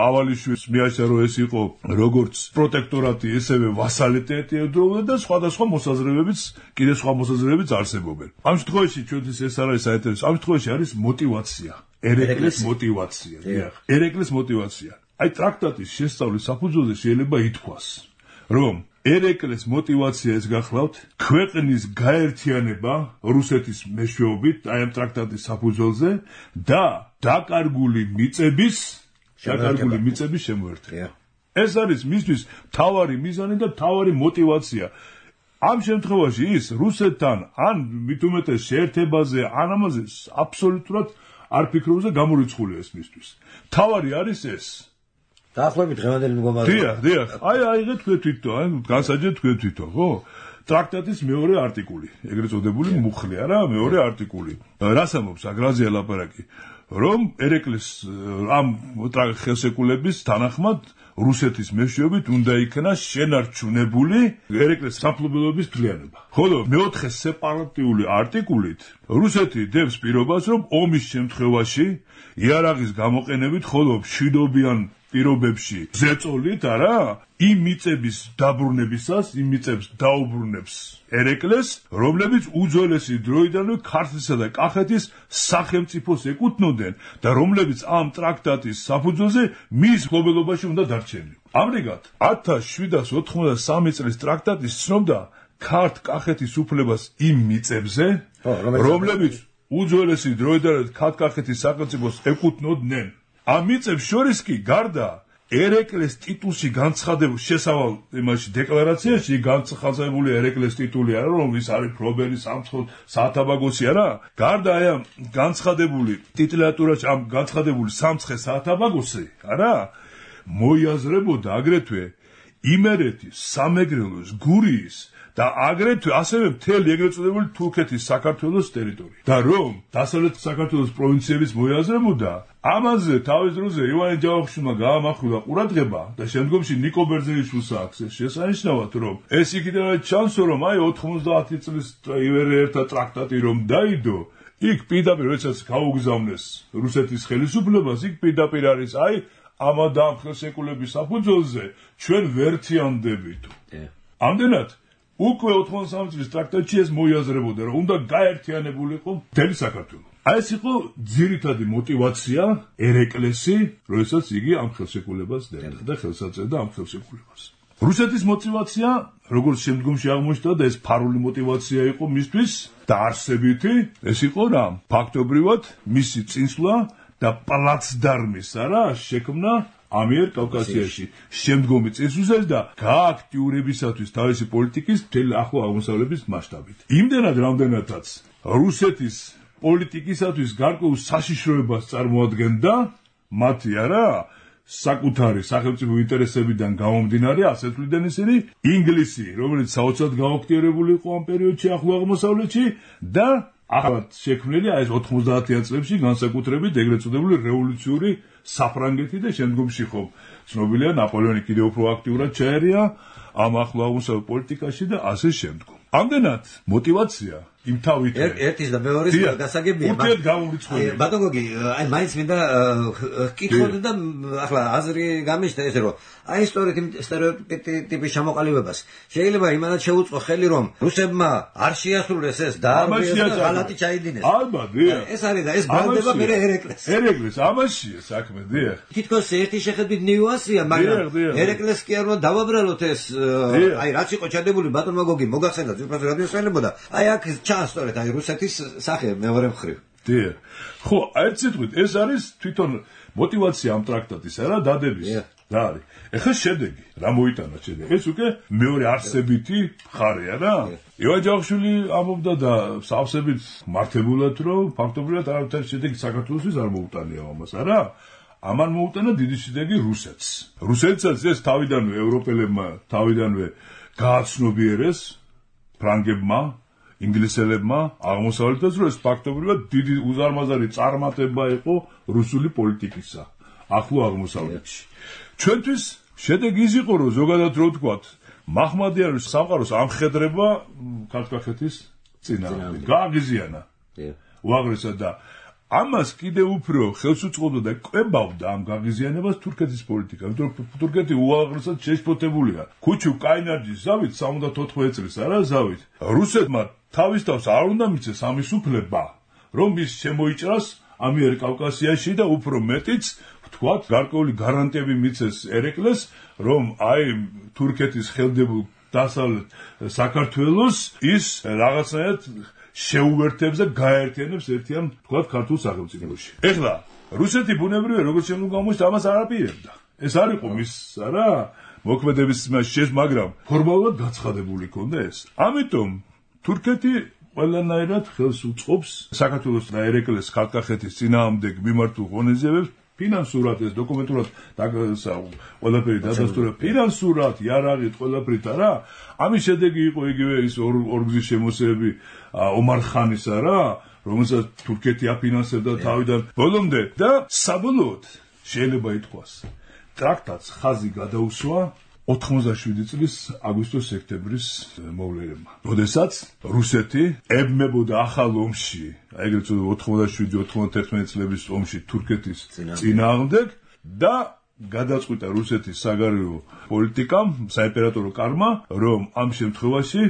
ავალიშვილს მიაჩნდა რომ ეს იყო როგორც პროტექტორატი, ესევე ვასალიტეტი ედროვდა და სხვადასხვა მოსაზრებებიც, კიდე სხვა მოსაზრებებიც არსებობენ. ამ შემთხვევაში ჩვენთვის ეს არ არის საინტერესო, ამ შემთხვევაში არის მოტივაცია. ერეკლეს მოტივაცია, დიახ. ერეკლეს მოტივაცია. აი ტრაქტატის შესწავლის საფუძველზე შეიძლება ითქვას, რომ ერეკლეს მოტივაცია ეს გახლავთ ქვეყნის გაერთიანება რუსეთის მეშვეობით აი ამ ტრაქტატის საფუძველზე და დაკარგული მიწების შემოერთება. ეს არის მისთვის მთავარი მიზანი და მთავარი მოტივაცია. ამ შემთხვევაში ის რუსეთთან ან მით უმეტეს შეერთებაზე ან ამაზე აბსოლუტურად არ ფიქრობს და გამორიცხულია ეს მისთვის. მთავარი არის ეს დაახლოებით დღევანდელი მდგომარეობა. დიახ. აიღეთ თქვენ თვითონ, განსაჯეთ თქვენ თვითონ, ხო? ტრაქტატის მეორე არტიკული, ეგრეთ წოდებული მუხლი, არა, მეორე არტიკული. რას ამბობს აგრაზია ლაპარაკი? რომ ერეკლეს ამ ხელშეკრულების თანახმად რუსეთის მეშვეობით უნდა იქნა შენარჩუნებული ერეკლეს სამფლობელოების თვლიანება. ხოლო მეოთხე სეპარატიული არტიკულით რუსეთი დებს პირობას, რომ ომის შემთხვევაში იარაღის გამოყენებით, ხოლო მშვიდობიან პირობებში ზეწოლით, არა, იმ მიწების დაბრუნებისას, იმ მიწებს დაუბრუნებს ერეკლეს, რომლებიც უძველესი დროიდანვე ქართლისა და კახეთის სახელმწიფოს ეკუთვნოდნენ და რომლებიც ამ ტრაქტატის საფუძველზე მის მფლობელობაში უნდა დარჩენილიყო. ამრიგად, 1793 წლის ტრაქტატი ცნობდა ქართლ-კახეთის უფლებას იმ მიწებზე, რომლებიც უძველესი დროიდანვე ქართლ-კახეთის სახელმწიფოს ეკუთვნოდნენ. ამ მიწებს შორის კი გარდა ერეკლეს ტიტულში განცხადებულ შესავალ იმაში დეკლარაციაში განცხადებული ერეკლეს ტიტული არა, რომ ის არის ფლობელი საათაბაგოსი არა, გარდა აი ამ განცხადებული ტიტულატურაში ამ განცხადებული სამცხე საათაბაგოსი არა, მოიაზრებოდა აგრეთვე იმერეთის, სამეგრელოს, გურიის და აგრეთვე ასევე მთელი ეგრეთ წოდებული თურქეთის საქართველოს ტერიტორია. და რომ დასავლეთ საქართველოს პროვინციების მოიაზრებოდა, ამაზე თავის დროზე ივანე ჯავახიშვილმა გაამახვილა ყურადღება და შემდგომში ნიკო ბერძენიშვილს აქვს ეს შესანიშნავად, რომ ეს იქიდან ჩანსო, რომ აი 90 წლის ერთა ტრაქტატი რომ დაიდო, იქ პირდაპირ როდესაც გაუგზავნეს რუსეთის ხელისუფლებას, იქ პირდაპირ არის აი ამ და ამ ხელშეკრულების საფუძველზე ჩვენ ვერთიანდებით. ამდენად უკვე 93 წლის ტრაქტატში ეს მოიაზრებოდა, რომ უნდა გაერთიანებულიყო მთელი საქართველო. აი ეს იყო ძირითადი მოტივაცია ერეკლესი, როდესაც იგი ამ ხელშეკრულებას დებდა და ხელს აწევდა ამ ხელშეკრულებას. რუსეთის მოტივაცია, როგორც შემდგომში აღმოჩნდა და ეს ფარული მოტივაცია იყო მისთვის დაარსებითი, ეს იყო რა? ფაქტობრივად მისი წინსვლა და პლაცდარმის არა შექმნა ამიერკავკასიაში შემდგომი წესრიგის და გააქტიურებისათვის თავისი პოლიტიკის მთელი ახლო აღმოსავლეთის მასშტაბით. იმდენად რამდენადაც რუსეთის პოლიტიკისათვის გარკვეულ საშიშროებას წარმოადგენდა მათი არა საკუთარი სახელმწიფო ინტერესებიდან გამომდინარე, ასე თვლიდნენ ისინი, ინგლისი, რომელიც საოცრად გააქტიურებული იყო ამ პერიოდში ახლო აღმოსავლეთში და ახალად შექმნილი აი ეს 90-იან წლებში განსაკუთრებით ეგრეთ წოდებული რევოლუციური საფრანგეთი და შემდგომში ხო ცნობილია ნაპოლეონი კიდევ უფრო აქტიურად ჩაერია ამ ახლო აღმოსავლეთ პოლიტიკაში და ასე შემდგომ. ამდენად მოტივაცია იმ თავით ერთის და მეორეს გასაგებია ურთიერთ გამოვრიცხული ბატონ გოგი აი მაინც მინდა კითხოთ და ახლა აზრი გამიშთა ესე რომ აი სტერეოტიპის ჩამოყალიბებას შეიძლება იმანაც შეუწყო ხელი რომ რუსებმა არ შეასრულეს ეს და ღალატი ჩაიდინეს ალბათ ეს არის და ეს ბრალდება მე ერეკლეს ამაშია საქმე დიახ თითქოს ერთი შეხედვით ნიუანსია მაგრამ ერეკლეს კი არ უნდა დავაბრალოთ ეს აი რაც იყო ჩადებული ბატონმა გოგი მოგახსენდა ძირფას რადიოს ხელებოდა აი აქ ჩაასწორეთ აი რუსეთის სახე მეორე მხრივ დიახ ხო აი ციტყვით ეს არის თვითონ мотивация ამ ტრაქტატისა რა დადების რა არის ეხლა შედეგი რა მოიტანა შედეგი ეს უკვე მეორე არსებითი მხარეა რა ივან ჯავახიშვილი ამობდა და სავსებით მართებულად რომ ფაქტობრივად არავითარი შედეგი საქართველოსთვის არ მოუტანია ამას არა ამან მოუტანა დიდი შედეგი რუსეთსაც ეს თავიდანვე ევროპელებმა თავიდანვე გააცნობიერეს ფრანგებმა ინგლისელებმა აღმოსავლეთას რომ ეს ფაქტობრივად დიდი უზარმაზარი წარმატება იყო რუსული პოლიტიკისა ახლო აღმოსავლეთში ჩვენთვის შედეგი ის იყო რომ ზოგადად რო ვთქვათ მაჰმადიანის სამყაროს ამხედრება ქართლ-კახეთის წინააღმდეგ გააღიზიანა უაღრესად და ამას კიდე უფრო ხელს უწყობდა და კვებავდა ამ გაღიზიანებას თურქეთის პოლიტიკა იმიტომ რომ თურქეთი უაღრესად შეშფოთებულია ქუჩუ კაინარჯის ზავით 74 წლის არა ზავით რუსეთმა თავის თავს არ უნდა მიცეს ამის უფლება რომ ის შემოიჭრას ამიერკავკასიაში და უფრო მეტიც ვთქვათ გარკვეული გარანტიები მიცეს ერეკლეს რომ აი თურქეთის ხელდებულ დასავლეთ საქართველოს ის რაღაცნაირად შეუერთებს და გაერთიანებს ერთიან ვთქვათ ქართულ სახელმწიფოში ეხლა რუსეთი ბუნებრივია როგორც შემდგომ გამოჩნდა ამას არ აპირებდა ეს არ იყო მის არა მოქმედების მაგრამ ფორმალურად გაცხადებული ქონდა ეს ამიტომ თურქეთი ყველანაირად ხელს უწყობს საქართველოს და ერეკლეს ქართლ-კახეთის წინააღმდეგ მიმართულ ღონისძიებებს ფინანსურად ეს დოკუმენტურად ყველაფერი დადასტურა ფინანსურად იარაღით ყველაფრით არა ამის შედეგი იყო იგივე ის ორგზის შემოსევები ომარ ხანისა რა რომელსაც თურქეთი აფინანსებდა თავიდან ბოლომდე და საბოლოოდ შეიძლება ითქვას ტრაქტატს ხაზი გადაუსვა 87 წლის აგვისტოს-სექტემბრის მოვლენებმა. როდესაც რუსეთი ებმებოდა ახალ ომში, ეგრეთ 87-91 წლების ომში თურქეთის წინააღმდეგ და გადაწყვიტა რუსეთის საგარეო პოლიტიკამ, საიმპერატორო კარმა, რომ ამ შემთხვევაში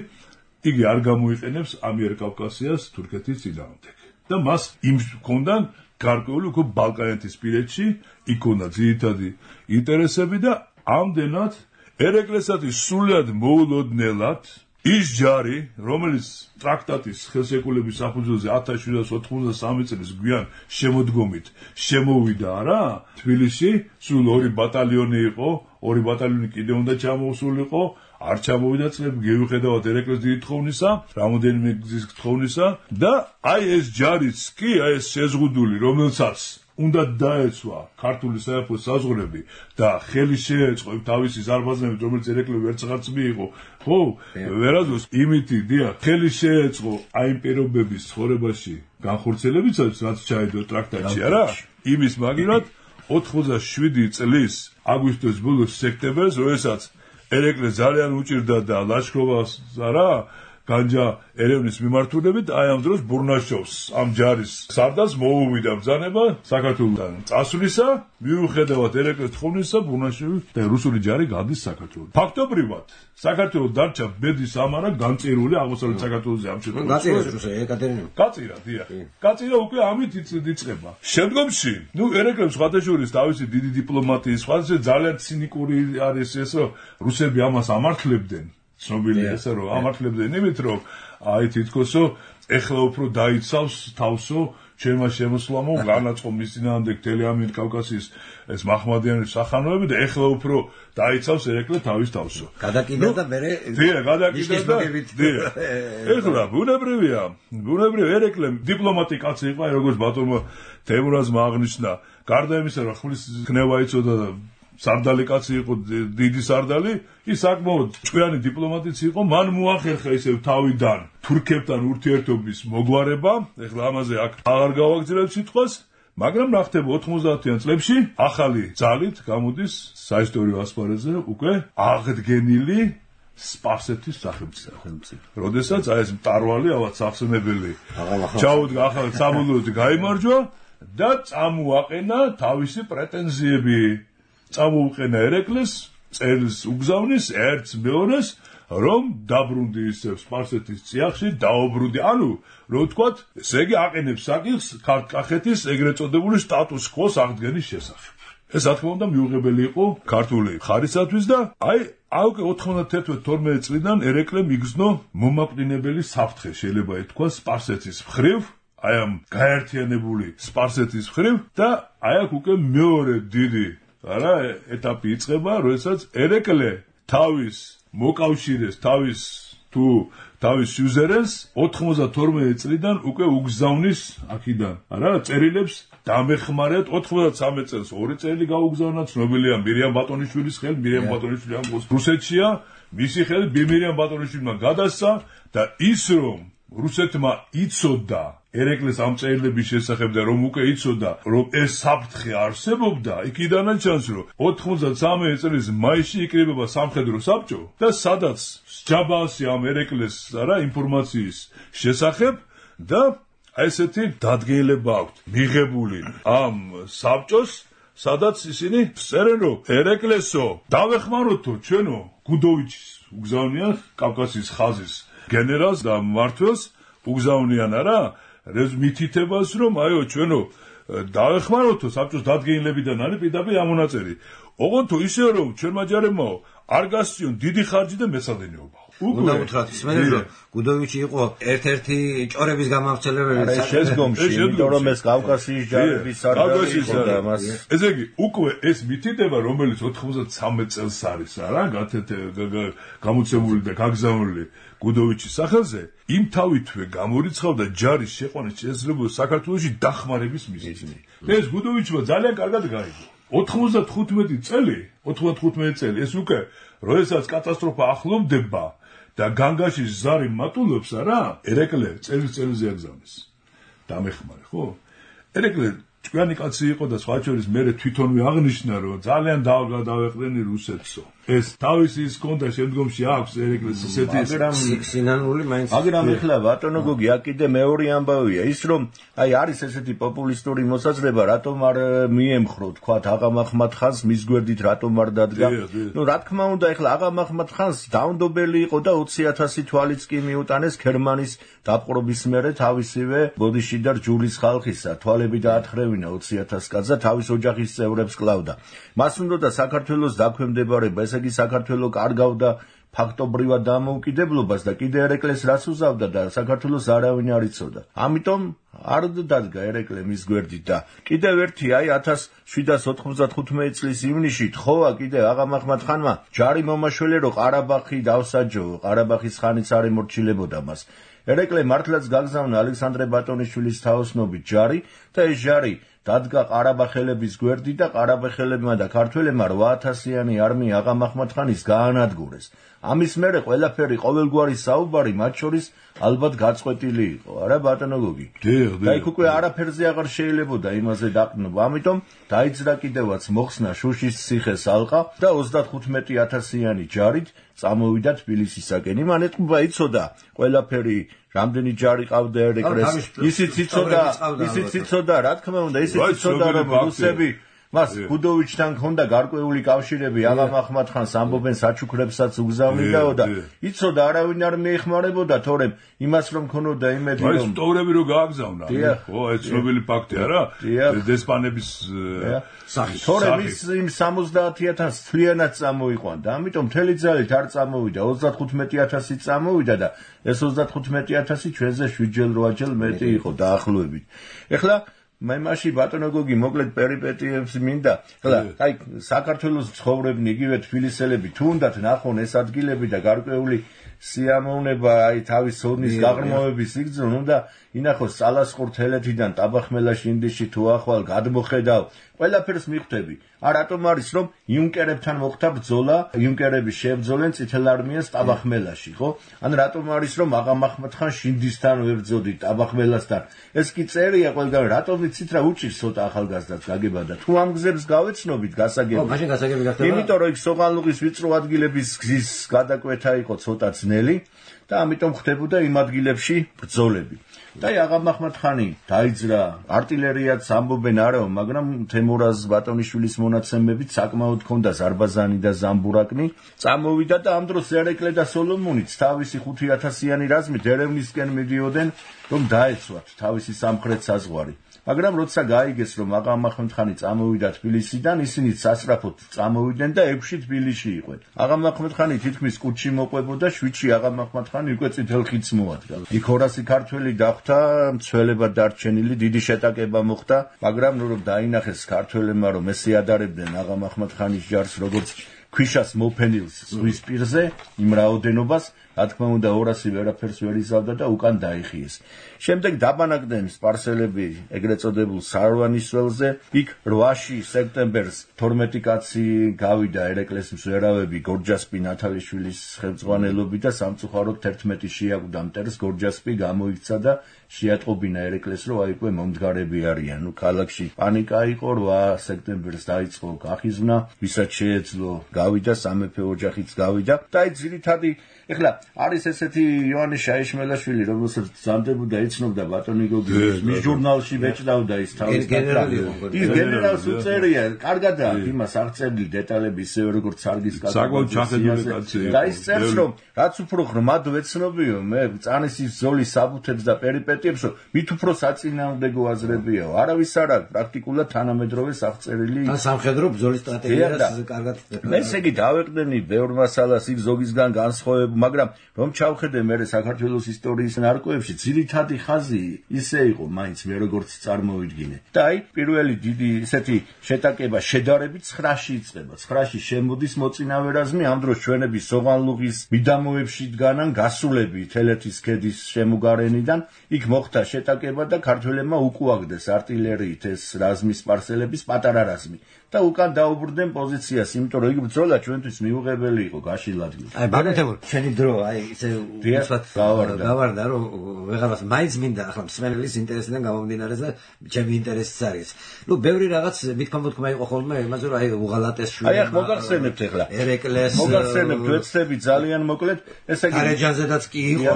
იგი არ გამოიყენებს ამიერკავკასიას თურქეთის წინააღმდეგ. და მას იმ ჰქონდა გარკვეული უკვე ბალკანეთისპირეთში, იქ ჰქონდა ძირითადი ინტერესები და ამდენად ერეკლესათვის სულად მოულოდნელად ის ჯარი, რომელიც ტრაქტატის ხელშეკრულების საფუძველზე 1793 წლის გვიან შემოდგომით შემოვიდა რა, თბილისში სულ 2 ბატალიონი იყო, 2 ბატალიონი კიდე უნდა ჩამოსულიყო, არ ჩამოვიდა წლები გეუხედავთ ერეკლეს დიდი თხოვნისა, რამოდენიმე გზის თხოვნისა და აი ეს ჯარიც კი, აი ეს შეზღუდული, რომელსაც უნდა დაეცვა ქართული საერთო საზღვრები და ხელი შეეწყო თავისი ზარბაზნებით, რომელიც ერეკლე ვერცღარც მიიღო, ხო, ვერაზოს იმითი დია ხელი შეეწყო აი იმ პირობების ცხოვრებაში განხორციელებისას, რაც ჩაიდო ტრაქტატში, არა? იმის მაგივრად 87 წლის აგვისტოს ბოლოს სექტემბერს, როდესაც ერეკლე ძალიან უჭირდა და ლაშქრობას, არა? განჯა ერევნის მიმართულებით აი ამ დროს ბურნაშოვს ამ ჯარის სარდალს მოუვიდა ბრძანება საქართველოსთან წასვლისა მიუხედავად ერეკლეს თხოვნისა ბურნაშოვი და რუსული ჯარი გადის საქართველოს ფაქტობრივად საქართველოს დარჩა ბედის ამარა განწირული აღმოსავლეთ საქართველოსზე ამ შემთხვევაში გაწირა დიახ გაწირა უკვე ამით იწყება შემდგომში ერეკლემ სხვადასხვა თავისი დიდი დიპლომატიის სხვადასხვა ძალიან ცინიკური არის ეს რომ რუსები ამას ამართლებდნენ ცნობილია ესე რომ ამართლებდნენ იმით რომ აი თითქოსო ეხლა უფრო დაიცავს თავსო ჩემმა შემოსვლამო განაწყო მის წინააღმდეგ ამიერკავკასიის ეს მაჰმადიანის სახანოები და ეხლა უფრო დაიცავს ერეკლე თავის თავსო გადაკიდა და მე გადაკიდა და ეხლა ბუნებრივია ერეკლე დიპლომატი კაცი იყო როგორც ბატონმა თემურაზმა აღნიშნა გარდა იმისა რომ ხმლის ქნევა იცოდა და სარდალი კაცი იყო დიდი სარდალი ის საკმაოდ ჭკვიანი დიპლომატიც იყო მან მოახერხა ისევ თავიდან თურქებთან ურთიერთობის მოგვარება ეხლა ამაზე აქ აღარ გავაგრძელებ სიტყვას მაგრამ რა ხდება 90-იან წლებში ახალი ძალით გამოდის საისტორიო ასპარეზზე უკვე აღდგენილი სპარსეთის სახელმწიფო. როდესაც აი ეს მტარვალი ავად სახსენებელი ჩაუდგა ახალ საბოლოოდ გაიმარჯვა და წამოაყენა თავისი პრეტენზიები. წამოუყენა ერეკლეს, წერილს უგზავნის ერთს მეორეს, რომ დაბრუნდი ისევ სპარსეთის წიაღში, დაუბრუნდი. ანუ რო ვთქვათ, ესე იგი აყენებს საკითხს ქართლ-კახეთის ეგრეთ წოდებული სტატუს კვოს აღდგენის შესახებ. ეს რა თქმა უნდა მიუღებელი იყო ქართული მხარისათვის და აი 91-12 წლიდან ერეკლემ იგრძნო მომაკვდინებელი საფრთხე, შეიძლება ითქვას სპარსეთის მხრივ, აი ამ გაერთიანებული სპარსეთის მხრივ და აი აქ უკვე მეორე დიდი არა ეტაპი იწყება, როდესაც ერეკლე თავის მოკავშირეს, თავის სიუზერენს 92 წლიდან უკვე უგზავნის აქიდან, არა, წერილებს დამეხმარეთ 93 წელს ორი წერილი გაუგზავნა, ცნობილია მირიამ ბატონიშვილის ხელით, მირიამ ბატონიშვილი ამ რუსეთშია, მისი ხელით მირიამ ბატონიშვილმა გადასცა და ის რომ რუსეთმა იცოდა ერეკლეს ამ წერილების შესახებ და რომ უკვე იცოდა რომ ეს საფრთხე არსებობდა, იქიდანაც ჩანს რომ 93 წლის მაისში იკრიბება სამხედრო საბჭო და სადაც სჯაბასი ამ ერეკლეს არა ინფორმაციის შესახებ და აი ესეთი დადგენილება აქვს მიღებული ამ საბჭოს, სადაც ისინი წერენ რომ ერეკლესო დავეხმაროთო ჩვენო გუდოვიჩის უგზავნიან კავკასიის ხაზის გენერალს და მმართველს უგზავნიან არა მითითებას რომ აიო ჩვენო დავეხმაროთო საბჭოს დადგენილებიდან არის პირდაპირ ამონაწერი. ოღონდ თუ ისე რომ ჩვენმა ჯარებმაო არ გასწიონ დიდი ხარჯი და მეცადინეობა. უნდა უთხრათ ისმენე რომ გუდოვიჩი იყო ერთ-ერთი ჭორების გამავრცელებელი შესგომში, იმიტომ რომ ეს კავკასიის ჯარების სარდალი იყო და მას ესე იგი უკვე ეს მითითება რომელიც 93 წელს არის არა გამოცემული და გაგზავნილი გუდოვიჩის სახელზე იმ თავითვე გამორიცხავდა ჯარის შეყვანის შესაძლებლობა საქართველოში დახმარების მიზეზი. ეს გუდოვიჩმა ძალიან კარგად გაიგო. 95 წელი ეს უკვე როდესაც კატასტროფა ახლოვდება და განგაში ზარი მატულობს არა ერეკლე წელზე აგზავნეს. დამეხმარე ხო? ერეკლე ჭკვიანი კაცი იყო და სხვა შორის მე თვითონვე აღნიშნა რომ ძალიან დავეყრენი რუსეთსო. ეს თავისი ის კონდა შემდგომში აქვს ერეკლეს ისეთი სინანული მაინც. მაგრამ ეხლა ბატონო გოგი აქ კიდე მეორე ამბავია ის რომ აი არის ესეთი პოპულისტური მოსაზრება რატომ არ მიემხრო თქვა აღამახმად ხანს მის გვერდით რატომ არ დადგა. ნუ რა თქმა უნდა ეხლა აღამახმად ხანს დაუნდობელი იყო და 20,000 თვალიც კი მიუტანეს გერმანის დაპყრობის მერე თავისივე ბოდიში და ჯურის ხალხისა თვალები დაათხრევინა 20,000 კაცს და თავის ოჯახის წევრებს კლავდა. მას უნდა საქართველოს დაქვემდებარება ესე იგი საქართველო კარგავდა ფაქტობრივად დამოუკიდებლობას და კიდე ერეკლეს რას უზავდა და საქართველოს არავინ არ იცოდა. ამიტომ არ დადგა ერეკლე მის გვერდით და კიდევ ერთი აი 1795 წლის ივნისში თხოვა კიდე აღამახმად ხანმა ჯარი მომაშველე რომ ყარაბაღი დავსაჯო, ყარაბაღის ხანიც არ ემორჩილებოდა მას. ერეკლე მართლაც გაგზავნა ალექსანდრე ბატონიშვილის თაოსნობით ჯარი და ეს ჯარი დადგა ყარაბაღელების გვერდით და ყარაბაღელებმა და ქართველებმა 8000-იანი არმია აღამახმად ხანის გაანადგურეს. ამის მერე ყველაფერი ყოველგვარი საუბარი მათ შორის ალბათ გაწყვეტილი იყო, არა ბატონო გოგი? და იქ უკვე არაფერზე აღარ შეიძლებოდა იმაზე დაყრდნობა. ამიტომ დაიძრა კიდევაც მოხსნა შუშის ციხეს ალყა და 35,000-იანი ჯარით წამოვიდა თბილისისაკენ. იმან ეთყობა იცოდა ყველაფერი რამდენი ჯარი ყავდა ერეკლეს. ისიც იცოდა, რა თქმა უნდა, ისიც იცოდა რომ რუსები მას გუდოვიჩთან ჰქონდა გარკვეული კავშირები, აღამახმად ხანს ამბობენ საჩუქრებსაც უგზავნიდაო და იცოდა არავინ არ მიეხმარებოდა, თორემ იმას რომ ქონოდა იმედი რომ ეს მტოვრები რო გააგზავნა. ხო, ეს ცნობილი ფაქტი არა? დესპანების სახით. თორემ იმ 70,000 თლიანად წამოიყვანდა. ამიტომ მთელი ძალით არ წამოვიდა, 35,000 წამოვიდა და ეს 35,000 ჩვენზე 7-8 მეტი იყო დაახლოებით. ეხლა მე მაშინ ბატონო გოგი მოკლედ პერიპეტიებს მინდა. ეხლა აი საქართველოს ცხოვრებნი იგივე თბილისელები თუნდაც ნახონ ეს ადგილები და გარკვეული სიამოვნება აი თავის ოდნის გაღრმავების იგრძნო, უნდა ინახოს წალასყურ თელეთიდან ტაბახმელაში ინდიში თუ ახვალ გადმოხედავ ყველაფერს მიხვდები. რატომ არის რომ იუნკერებთან მოხდა ბრძოლა, იუნკერები შეებრძოლენ წითელ არმიას ტაბახმელაში, ხო? ან რატომ არის რომ აღამ აჰმად-ხან შინდისთან ვებრძოდი ტაბახმელასთან? ეს კი წერია ყველგან, რატომ ვიცით რა უჭირს ცოტა ახალგაზრდას გაგება და თუ ამ გზებს გავეცნობით გასაგები. მაშინ გასაგები გახდება. იმიტომ რომ იქ სოღანლუღის ვიწრო ადგილების გზის გადაკვეთა იყო ცოტა ძნელი და ამიტომ ხდებოდა იმ ადგილებში ბრძოლები. და აღამ აჰმად-ხანი დაიძრა, артиლერიაც ამბობენ არაო, მაგრამ თემურაზ ბატონიშვილის მონაცემებით საკმაოდ ჰქონდა ზარბაზანი და ზამბურაკნი. წამოვიდა და ამ დროს ერეკლე და სოლომონიც თავისი 5000-იანი რაზმით ერევნისკენ მიდიოდნენ, რომ დაეცვათ თავისი სამხრეთ საზღვარი. მაგრამ როცა გაიგეს რომ აღამ აჰმად-ხანი წამოვიდა თბილისიდან, ისინი სასწრაფოდ წამოვიდნენ და 6-ში თბილისში იყვნენ. აღამ აჰმად-ხანი თითქმის კუჩში მოყვებოდა, 7-ში აღამ აჰმად-ხანი უკვე წითელ ხიდს მოადგა. იქ 200 ქართველი დახვდა, მცველებად დარჩენილი, დიდი შეტაკება მოხდა, მაგრამ რომ დაინახეს ქართველებმა რომ ესე ადარებდნენ აღამ აჰმად-ხანის ჯარს როგორც ქვიშას მოფენილს ზღვის პირზე, იმ რაოდენობას, რა თქმა უნდა 200 ვერაფერს ვერ იზავდა და უკან დაიხიეს. შემდეგ დაბანაკდნენ სპარსელები ეგრეთ წოდებულ სარვანის ველზე, იქ 8 სექტემბერს 12 კაცი გავიდა ერეკლეს მსვერავები გორჯასპი ნათალიშვილის ხელმძღვანელობით და სამწუხაროდ 11 შეაკვდა მტერს, გორჯასპი გამოიქცა და შეატყობინა ერეკლეს, რომ აი უკვე მომდგარები არიან. ქალაქში პანიკა იყო, 8 სექტემბერს დაიწყო გახიზვნა, ვისაც შეეძლო გავიდა, სამეფო ოჯახიც გავიდა და აი ძირითადი ეხლა არის ესეთი იოანე შაიშმელაშვილი, რომელსაც ზამდებოდა იცნობდა ბატონი გოგის მის ჟურნალში ბეჭდავდა ის თავის ის გენერალს უწერია, კარგადაა იმას აღწერილი დეტალები ისევე როგორც სარგის კაცი. საკმაოდ ჩახედული კაცია. და ის წერს რომ რაც უფრო ღრმად ვეცნობიო მე წანისის ბრძოლის საბუთებს და პერიპეტიებს, მით უფრო საწინააღმდეგო აზრებიაო. არავის არ აქვს პრაქტიკულად თანამედროვე აღწერილი ან სამხედრო ბრძოლის სტრატეგიას კარგად ესე იგი დავეყდენი ბევრ მასალას იქ ზოგისგან განსხვავებული, მაგრამ რომ ჩავხედე მე საქართველოს ისტორიის ნარკვევებში, ძირითადი ხაზი ისე იყო მაინც მე როგორც წარმოვიდგინე. და აი პირველი დიდი ესეთი შეტაკება შედარებით 9-ში იწყება. 9-ში შემოდის მოწინავე რაზმი, ამ დროს ჩვენები სოღანლუღის მიდამოებში დგანან გასულები თელეთის ქედის შემოგარენიდან. იქ მოხდა შეტაკება და ქართველებმა უკუაგდეს артиლერიით ეს რაზმის სპარსელების პატარა რაზმი. და უკან დაუბრდნენ პოზიციას, იმიტომ რომ იქ ბრძოლა ჩვენთვის მიუღებელი იყო გაშილად. აი ბაგეთებო, ჩვენი დრო აი ისე უცბად გავარდა, რომ ვეღარას მაინც მინდა ახლა მსმენელის ინტერესიდან გამომდინარე და ჩემი ინტერესიც არის. ნუ ბევრი რაღაც მithქმა იყო ხოლმე იმაზე, რომ აი უღალატეს შვილი. აი ახლა მოგახსენებთ ახლა. ერეკლეს მოგახსენებთ ვეცდები ძალიან მოკლედ, ესე იგი ქარეჯანზედაც კი იყო,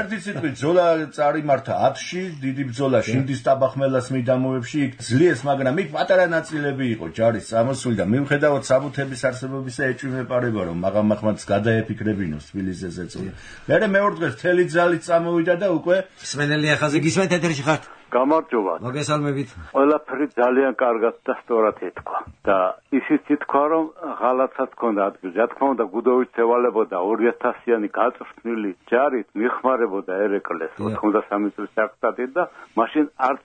ერთი სიტყვით ბრძოლა წარიმართა 10-ში, დიდი ბრძოლა შინდის ტაბახმელას მიდამოებში, იქ ძლიეს, მაგრამ იქ პატარა ნაწილები იყო ჯარის ამოსული და მიუხედავად საბუთების არსებობისა ეჭვმეპარება რომ აღამ აჰმადს გადაეფიქრებინოს თბილისზე ზეწოლა. მე მეორე დღეს მთელი ძალით წამოვიდა და უკვე მსმენელი ახაზე გისმენთ ეთერში ხართ? გამარჯობა. მოგესალმებით. ყველაფერი ძალიან კარგად და სწორად ეთქვა და ისიც ითქვა რომ ღალატსაც ჰქონდა ადგილზე. რა თქმა უნდა გუდოვიც ევალებოდა 2000-იანი გაწვრთნილი ჯარით მიხმარებოდა ერეკლეს 93 წლის საკუთად და მაშინ არ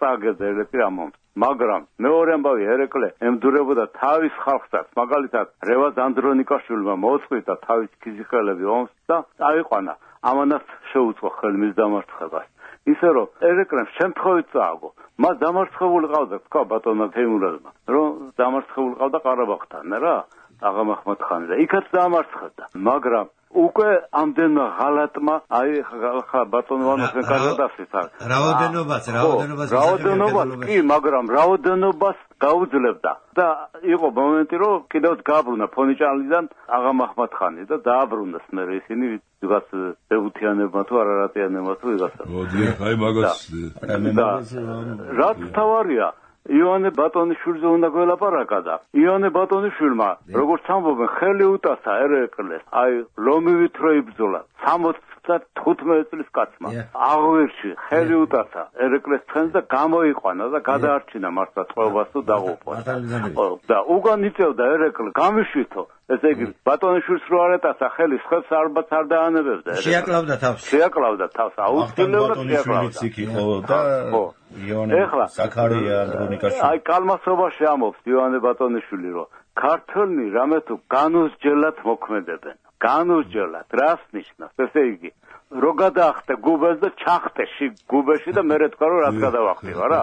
წააგებდა ერეკლე ამომთ. მაგრამ მეორე ამბავი ერეკლე ემდურებოდა თავის ხალხსაც, მაგალითად რევაზ ანდრონიკაშვილმა მოწყვიტა თავის ქიზიყელები ომს და წაიყვანა. ამანაც შეუწყო ხელი მის დამარცხებას. ისე რომ ერეკლემ შემთხვევით წააგო. მას დამარცხებული ყავდა, თქვა ბატონმა თემურაზმა, რომ დამარცხებული ყავდა ყარაბაღთან რა, აღამ აჰმად-ხანი და იქაც დამარცხდა. მაგრამ უკვე ამდენმა ღალატმა აი ხა ბატონოვანოს კარგად ასეთ არის. რაოდენობას კი, მაგრამ რაოდენობას გაუძლებდა და იყო მომენტი რომ კიდევ გააბრუნა ფონიჭალიდან აღამ აჰმად-ხანი და დააბრუნდა მე ისინი ვიღაც ეუთიანებმა თუ არარატიანებმა თუ ვიღაცა. მოდი აი მაგას რაც თავარია იონე ბატონიშვილზე უნდა გველაპარაკა და იონე ბატონიშვილმა როგორც ამბობენ ხელი უტაცა ერეკლეს აი ლომივით რო იბრძოლა 75 წლის კაცმა აღვერში ხელი უტაცა ერეკლეს ცხენს და გამოიყვანა და გადაარჩინა მართლა წყობას თუ დაღუპვას და უკან იწევდა ერეკლე გამიშვითო ესე იგი ბატონიშვილს რო არ ეტაცა ხელი ხებს ალბათ არ დაანებებდა შეაკლავდა თავს აუცილებლად შეაკლავდა და იონე საკარია ანდრონიკაშვილი აი კალმასობაში ამობს იონე ბატონიშვილი რომ ქართველნი რამე თუ განუსჯელად მოქმედებენ განუსჯელად რას ნიშნავს ესე იგი რო გადაახტე გუბეს და ჩახტე გუბეში და მე თქვა რომ რაც გადავახტივა რა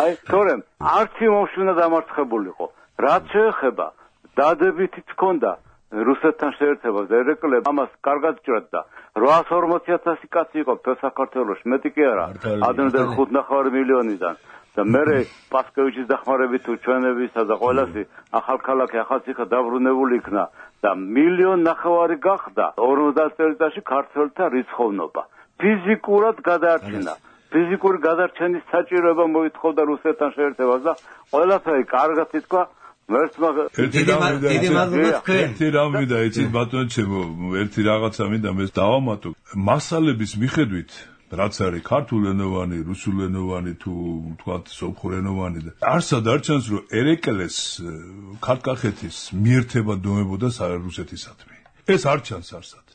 აი თორემ არც იმ ომში უნდა დამარცხებულიყო რაც შეეხება დადებითიც ჰქონდა რუსეთთან შეერთებას და ერეკლე ამას კარგად ჭრად და 840,000 კაცი იყო საქართველოში, მეტი კი არა, ადრინდელ 5.5 მილიონიდან და მე პასკევიჩის დახმარებით თუ ჩვენებისა და ყველასი ახალქალაქი ახალციხე დაბრუნებული იქნა და 1.5 მილიონი გახდა 50 წელიწადში ქართველთა რიცხოვნობა. ფიზიკურად გადაარჩინა. ფიზიკური გადარჩენის საჭიროება მოითხოვდა რუსეთთან შეერთებას და ყველაფერი კარგად ითქვა. ერთი რამ მინდა იცით ბატონო ჩემო, ერთი რაღაცა მინდა მე დავამატო. მასალების მიხედვით რაც არის ქართულენოვანი, რუსულენოვანი თუ თქვათ სომხურენოვანი და არსად არჩენს რომ ერეკლეს ქართკახეთის მიერთება დოებოდა რუსეთისადმი. ეს არჩენს არსად.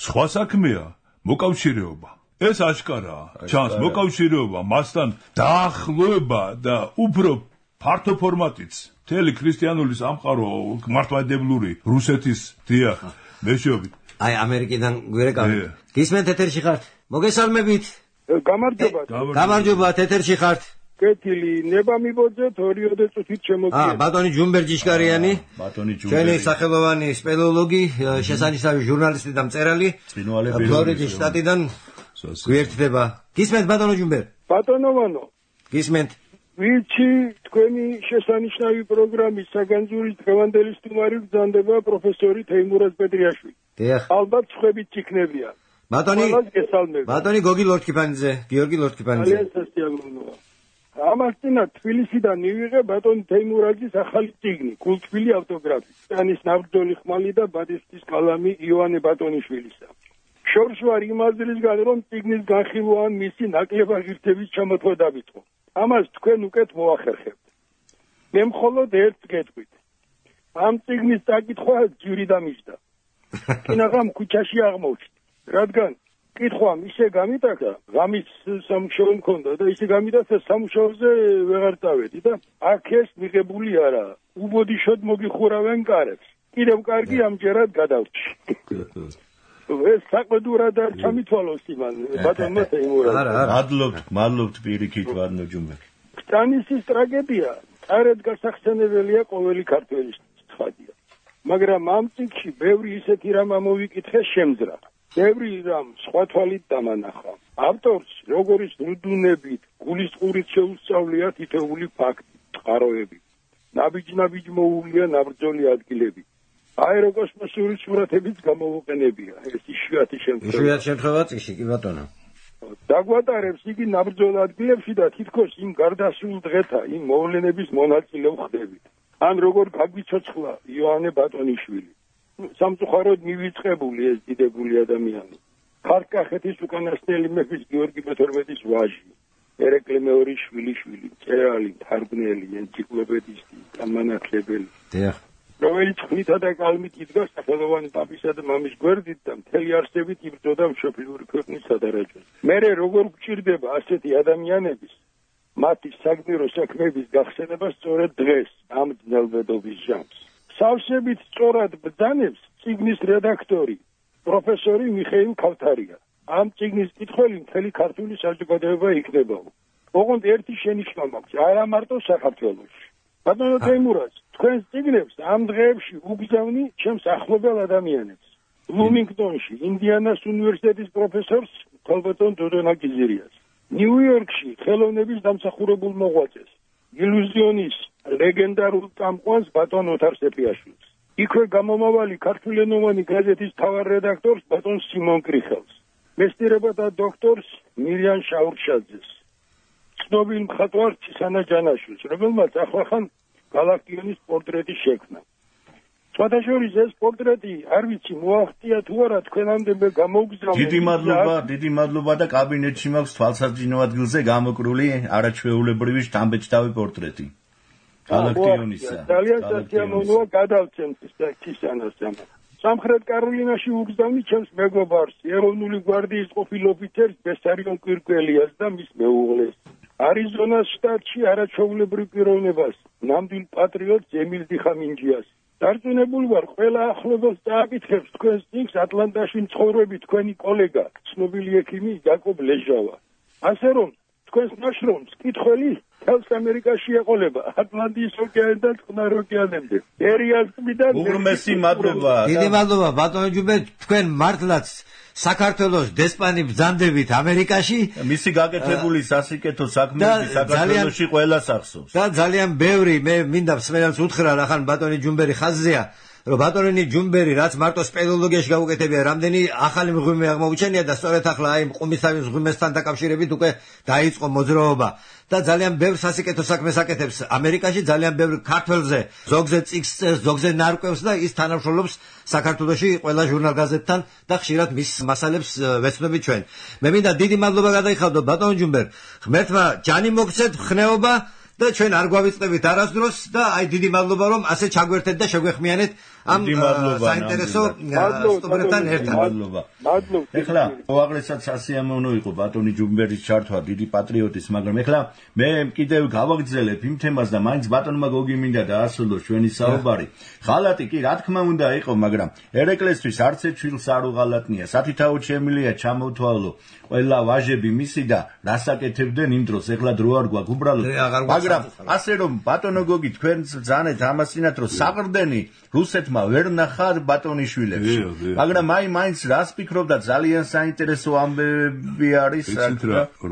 სხვა საქმეა მოკავშირეობა. ეს აშკარაა. ჩანს მოკავშირეობა, მასთან დაახლოება და უფრო ფართო ფორმატიც. მთელი ქრისტიანული სამყარო მართლმადიდებლური რუსეთის დიახ, მეშვეობით. აი ამერიკიდან გვერეკავით. გისმენთ ეთერში ხართ? მოგესალმებით. გამარჯობა, ეთერში ხართ. კეთილი, ნება მიბოძეთ 2 წუთით შემოგიყვება. ბატონი ჯუმბერ ჯიშკარიანი. ბატონი ჯუმბერი. ჩვენი სახელოვანი სპელეოლოგი, შესანიშნავი ჟურნალისტი და მწერალი. ფლორიდის შტატიდან გვერდდება. გისმენთ ბატონო ჯუმბერ? ბატონოვანო. გისმენთ. ვიცი, თქვენი შესანიშნავი პროგრამის საგანძური დღევანდელი სტუმარი გზანდება პროფესორი თეიმურაზ პეტრიაშვილი. დიახ. ალბათ სხვებიც იქნებიან. ბატონი გოგი ლორთქიფანიძე, გიორგი ლორთქიფანიძე. ძალიან სასიამოვნოა. ამას წინა თბილისიდან მივიღე ბატონ თეიმურაზის ახალი წიგნი, გულთბილი ავტოგრაფი. ტანის ნაბრძოლი ხმალი და ბატისტის კალამი იოანე ბატონიშვილისა. შორს ვარ იმ აზრისგან, რომ წიგნის განხილვა მისი ნაკლებაღირთების ჩამოთვა დავიწყო. ამას თქვენ უკეთ მოახერხებთ. მე მხოლოდ ერთს გეტყვით. ამ წიგნის წაკითხვა ჯირი დამიჯდა. კინაღამ ქუჩაში აღმოჩნდა. რადგან კითხვამ ისე გამიტაკა, ღამის სამუშაო მქონდა და ისე გამიტაცა სამუშაოზე ვეღარ წავედი და აქ ეს მიღებული არა. უბოდიშოდ მოგიხურავენ კარებს. კიდევ კარგი ამჯერად გადავრჩი. ეს საყდურად არ ჩამითვალოს იმან ბატონმა თეიმურაზ. მადლობთ პირიქით ბატონო ჯუმბერი. ტანისის ტრაგედია არად გასახსენებელია ყოველი ქართველის ცხადია. მაგრამ ამ წიგნში ბევრი ისეთი რამ ამოვიკითხე შემძრა. ბევრი რამ სხვა თვალით დამანახა. ავტორს როგორიც რუდუნებით, გულისწყურით შეუსწავლია თითოეული ფაქტი, წყაროები. ნაბიჯ მოუვლია ნაბრძოლი ადგილები. აეროკოსმოსური სურათებიც გამოუყენებია. ეს იშვიათი შემთხვევა წიგნში კი ბატონო. დაგვატარებს იგი ნაბრძოლ ადგილებში და თითქოს იმ გარდასულ დღეთა, იმ მოვლენების მონაწილე ხდებით. ან როგორ გაგვიცოცხლა იოანე ბატონიშვილი. სამწუხაროდ მივიწყებული ეს დიდებული ადამიანი. ქართკახეთის უკანასკნელი მეფის გიორგი მე-12-ის ვაჟი, ერეკლე მეორის შვილიშვილი, მწერალი, მთარგმნელი, ენციკლოპედისტი, გამანათლებელი. დიახ. რომელიც ხმითა და კალმით იდგა სახელოვანი პაპისა და მამის გვერდით და მთელი არსებით იბრძოდა მშობლიური ქვეყნის სადარაჯოს. მერე როგორ გვჭირდება ასეთი ადამიანების მათი საგმირო საქმეების გახსენება სწორედ დღეს ამ ძნელბედობის ჟამს. სავსებით სწორად ბრძანებს წიგნის რედაქტორი პროფესორი მიხეილ ქავთარია. ამ წიგნის კითხველი მთელი ქართული საზოგადოება იქნებაო. ოღონდ ერთი შენიშვნა მაქვს, არა მარტო საქართველოში. ბატონო თეიმურაზ, თქვენს წიგნებს ამ დღეებში უგზავნი ჩემს ახლობელ ადამიანებს. ბლუმინგტონში ინდიანას უნივერსიტეტის პროფესორს ქალბატონ დოდონა გიზერიას. ნიუ-იორკში ხელოვნების დამსახურებულ მოღვაწეს, ილუზიონის ლეგენდარულ წამყვანს ბატონ ოთარ სეფიაშვილს. იქვე გამომავალი ქართულენოვანი გაზეთის მთავარ რედაქტორს ბატონ სიმონ კრიხელს. მეცნიერებათა დოქტორს მირიან შაურშაძეს. ცნობილ მხატვარ ცისანა ჯანაშვილს, რომელმაც ახლახან გალაქტიონის პორტრეტი შექმნა. სხვადასხვა ეს პორტრეტი არ ვიცი მოახტია თუ არა თქვენამდე მე გამოგზავნე. დიდი მადლობა და კაბინეტში მაქვს თვალსაჩინო ადგილზე გამოკრული არაჩვეულებრივი შთამბეჭდავი პორტრეტი. გალაქტიონისა. ძალიან სასიამოვნოა გადავცემთ ცისანას ამას. სამხრეთ კაროლინაში უგზავნი ჩემს მეგობარს, ეროვნული გვარდიის ყოფილ ოფიცერს ბესარიონ კვირკველიას და მის მეუღლეს. არიზონას შტატში არაჩვეულებრივ პიროვნებას, ნამდვილ პატრიოტს ემილ დიხამინჯიას. დარწმუნებული ვარ, ყველა ახლობელს დააკითხებს თქვენს წიგნს ატლანტაში მცხოვრები თქვენი კოლეგა, ცნობილი ექიმი იაკობ ლეჟავა. ასე რომ, თქვენს ნაშრომს კითხველი თავს ამერიკაში ეყოლება ატლანტის ოკეანიდან წყნარ ოკეანემდე. ერიას მიდან უღრმესი მადლობა. დიდი მადლობა ბატონო ჯუმბერ, თქვენ მართლაც საქართველოს დესპანი ბრძანდებით ამერიკაში მისი გაკეთებული სასიკეთო საქმეები საქართველოში ყველას ახსოვს. და ძალიან ბევრი მე მინდა მსმენელს უთხრა რახან ბატონი ჯუმბერი ხაზზეა რომ ბატონი ჯუმბერი რაც მარტო სპელოლოგიაში გაუკეთებია რამდენი ახალი მღვიმე აღმოუჩენია და სწორედ ახლა აი ყუმისთავის მღვიმესთან დაკავშირებით უკვე დაიწყო მოძრაობა და ძალიან ბევრ სასიკეთო საქმეს აკეთებს ამერიკაში ძალიან ბევრ ქართველზე ზოგზე წიგნს წერს ზოგზე ნარკვევს და ის თანამშრომლობს საქართველოში ყველა ჟურნალ-გაზეთთან და ხშირად მის მასალებს ვეცნობით ჩვენ მე მინდა დიდი მადლობა გადაიხადო ბატონ ჯუმბერ ღმერთმა ჯანი მოგცეთ ხნეობა და ჩვენ არ გვავიწყდებით არასდროს და აი დიდი მადლობა რომ ასე ჩაგვერთეთ და შეგვეხმიანეთ ამ საინტერესო სტუმრებთან ერთად. მადლობა. ეხლა უაღრესად სასიამოვნო იყო ბატონი ჯუმბერის ჩართვა დიდი პატრიოტის, მაგრამ ეხლა მე კიდევ გავაგრძელებ იმ თემას და მაინც ბატონმა გოგიმინდა დაასრულოს ჩვენი საუბარი. ღალატი კი რა თქმა უნდა იყო, მაგრამ ერეკლესთვის არც ერთ შვილს არ უღალატნია. სათითაოდ შემილია ჩამოთვალო ყველა ვაჟები მისი და რასაკეთებდნენ იმ დროს, ეხლა დრო არ გვაქვს უბრალოდ. მაგრამ ასე რომ ბატონო გოგი თქვენს ბრძანეთ ამასინათ რომ საყრდენი რუსეთმა ვერ ნახა ბატონიშვილებში. მაგრამ მაინც რას ფიქრობდა ძალიან საინტერესო ამბები არის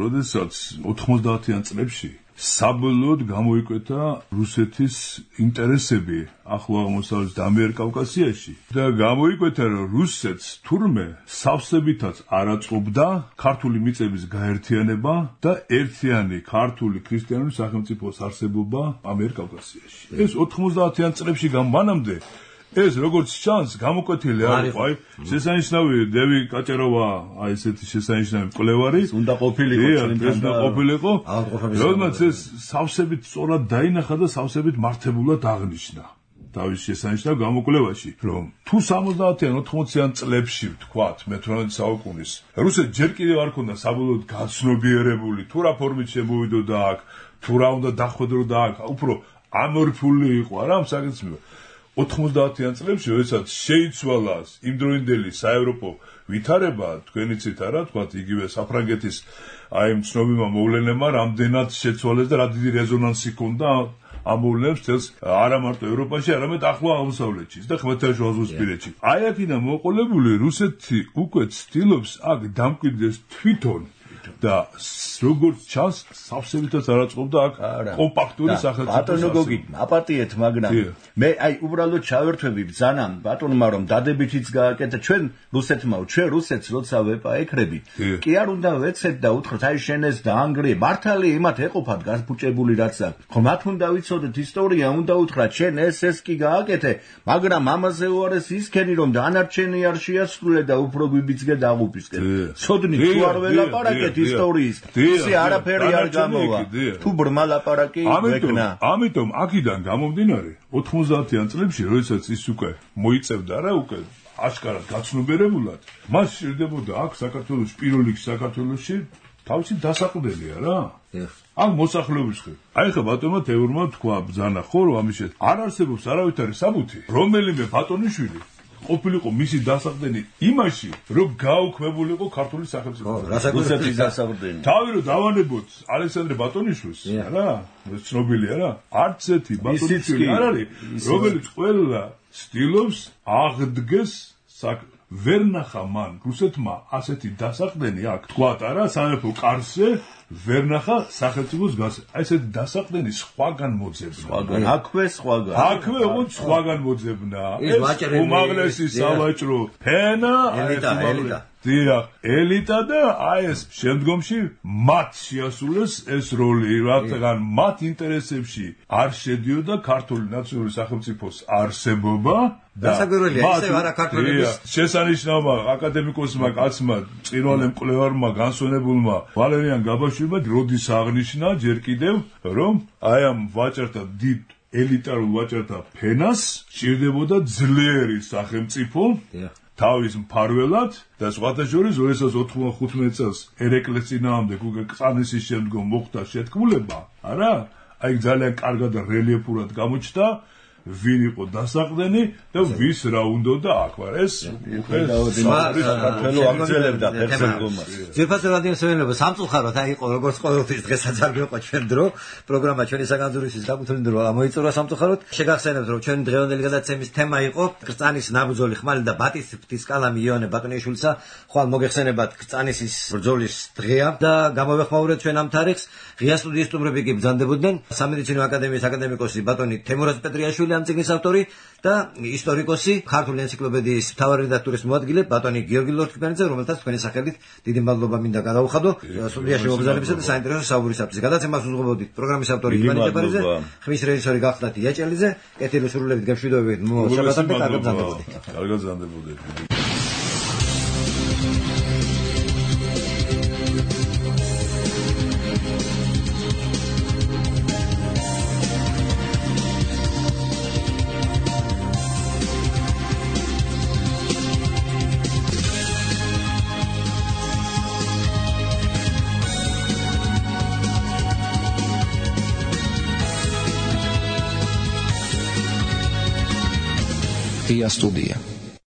როდესაც 90-იან წლებში საბოლოოდ გამოიკვეთა რუსეთის ინტერესები ახლო აღმოსავლეთ და ამიერკავკასიაში და გამოიკვეთა რომ რუსეთს თურმე სავსებითაც არ აწყობდა ქართული მიწების გაერთიანება და ერთიანი ქართული ქრისტიანული სახელმწიფოს არსებობა ამიერკავკასიაში. ეს 90-იან წლებში გამანამდე ეს როგორც ჩანს გამოკვეთილი არ იყო აი შესანიშნავი დევი კაჭეროვა აი ესეთი შესანიშნავი მკვლევარი უნდა ყოფილიყო როდესაც ეს სავსებით სწორად დაინახა და სავსებით მართებულად აღნიშნა თავის შესანიშნავ გამოკვლევაში რომ თუ 70-იან 80-იან წლებში ვთქვათ მე-18 საუკუნის რუსეთს ჯერ კიდევ არ ქონდა საბოლოოდ გაცნობიერებული თუ რა ფორმით შემოვიდოდა აქ თუ რა უნდა დახვედროდა აქ უფრო ამორფული იყო არა ამ საკითხი 90-იან წლებში, როდესაც შეიცვალა იმდროინდელი საევროპო ვითარება, თქვენიცით არა, თქვათ იგივე საფრანგეთის აი ცნობილმა მოვლენებმა რამდენად შეცვალეს და რა დიდი რეზონანსი ჰქონდა ამ მოვლენებს თელს არა მარტო ევროპაში, არამედ ახლო აღმოსავლეთში და ხმელთაშუა ზღვისპირეთში. აი აქედან მოყოლებული რუსეთი უკვე ცდილობს აქ დამკვიდრდეს თვითონ და როგორც ჩანს სავსებითაც არ აწყობდა აქ კომპაქტური სახელმწიფო. ბატონო გოგი, აპატიეთ, მაგრამ მე აი უბრალოდ ჩავერთვები ბრძანამ ბატონმა რომ დადებითიც გააკეთა ჩვენ რუსეთმა, ჩვენ რუსეთს როცა ვეპაექრებით, კი არ უნდა ვეცეთ და უთხრათ აი შენ ეს დაანგრიე, მართალი იმათ ეყოფათ გასფუჭებული რაც აქვს. ხო მათ უნდა ვიცოდეთ ისტორია, უნდა უთხრათ შენ ეს კი გააკეთე, მაგრამ ამაზე უარეს ისქენი რომ დანარჩენი არ შეასრულე და უფრო გვიბიძგე დაღუპისკენ. ცოდნი თუ არ ველაპარაკეთ ისტორიის ისე არაფერი არ გამოვა თუ ბრმა ლაპარაკი ვეკნა ამიტომ აქედან გამომდინარე 90-იან წლებში როდესაც ის უკვე მოიწევდა რა უკვე აშკარად გაცნობიერებულად მას სჭირდებოდა აქ საქართველოს პირველ რიგში საქართველოში თავისი დასაყრდენია რა ამ მოსახლეობის ხე აი ხა ბატონმა თეორმა თქვა ბძანა ხო რომ ამიშეთ არ არსებობს არავითარი საბუთი რომელიმე ბატონიშვილი ყოფილიყო მისი დასაყრდენი იმაში, რომ გაუქმებულიყო ქართული სახელმწიფო. რუსეთის დასაყრდენი. თავი რომ დავანებოთ ალექსანდრე ბატონიშვილს, რა, ცნობილია რა. არც ერთი ბატონიშვილი არ არის, რომელიც ყველა ცდილობს აღდგეს ვერ ნახა მან რუსეთმა ასეთი დასაყრდენი აქ თქვათ არა სამეფო კარზე ვერ ნახა სახელმწიფოს გასა. აი ესეთი დასაყრდენი სხვაგან მოძებნა. აქვე ოღონდ სხვაგან მოძებნა. ეს უმაღლესი სავაჭრო ფენა ელიტა და აი ეს შემდგომში მათ შეასრულეს ეს როლი, რადგან მათ ინტერესებში არ შედიოდა ქართული ნაციონალური სახელმწიფოს არსებობა და შესანიშნავმა აკადემიკოსმა კაცმა წინვალე მკვლევარმა განსვენებულმა ვალერიან გაბაშვილმა როდის აღნიშნა ჯერ კიდევ რომ აი ამ ვაჭართა დიდ ელიტარულ ვაჭართა ფენას სჭირდებოდა ძლიერი სახელმწიფო თავის მფარველად და სხვათა შორის 2015 წელს ერეკლეს წინააღმდეგ უკვე კწანისის შემდგომ მოხდა შეთქმულება, არა? აი ძალიან კარგად და რელიეფურად გამოჩნდა ვინ იყო დასაყრდენი და ვის რა უნდა აქ ვარ ეს საქართველოს აგრძელებდა ფერმერობას. ძირფასო რადიოსმენელებო სამწუხაროდ აი იყო როგორც ყოველთვის დღესაც არ გვიყვა ჩვენ დრო პროგრამა ჩვენი საგანძურისთვის დაგუთვლილი დრო მოიწურა სამწუხაროდ შეგახსენებთ რომ ჩვენი დღევანდელი გადაცემის თემა იყო კრწანის ნაბრძოლი ხმალი და ბატის კალამი იონე ბატონიშვილისა ხვალ მოგეხსენებათ კრწანისის ბრძოლის დღეა და გამოვეხმაურეთ ჩვენ ამ თარიღს ღია სტუდიის სტუმრები კი ბრძანდებოდნენ სამედიცინო აკადემიის აკადემიკოსი ბატონი თემურაზ პეტრიაშვილი ამ წიგნის ავტორი და ისტორიკოსი ქართული ენციკლოპედიის მთავარი რედაქტორის მოადგილე ბატონი გიორგი ლორთქიფანიძე რომელთაც თქვენი სახელით დიდი მადლობა მინდა გადაუხადო სტუდიაში მოგზაურობისა და საინტერესო საუბარისათვის გადაცემას უძღვებოდით პროგრამის ავტორი ივანე ჭეპარიძე ხმის რეჟისორი გახდათ იაჭელიძე კეთილი სრულებით გემშვიდობებით შაბათამდე კარგად ზანდებოდეთ ღია სტუდია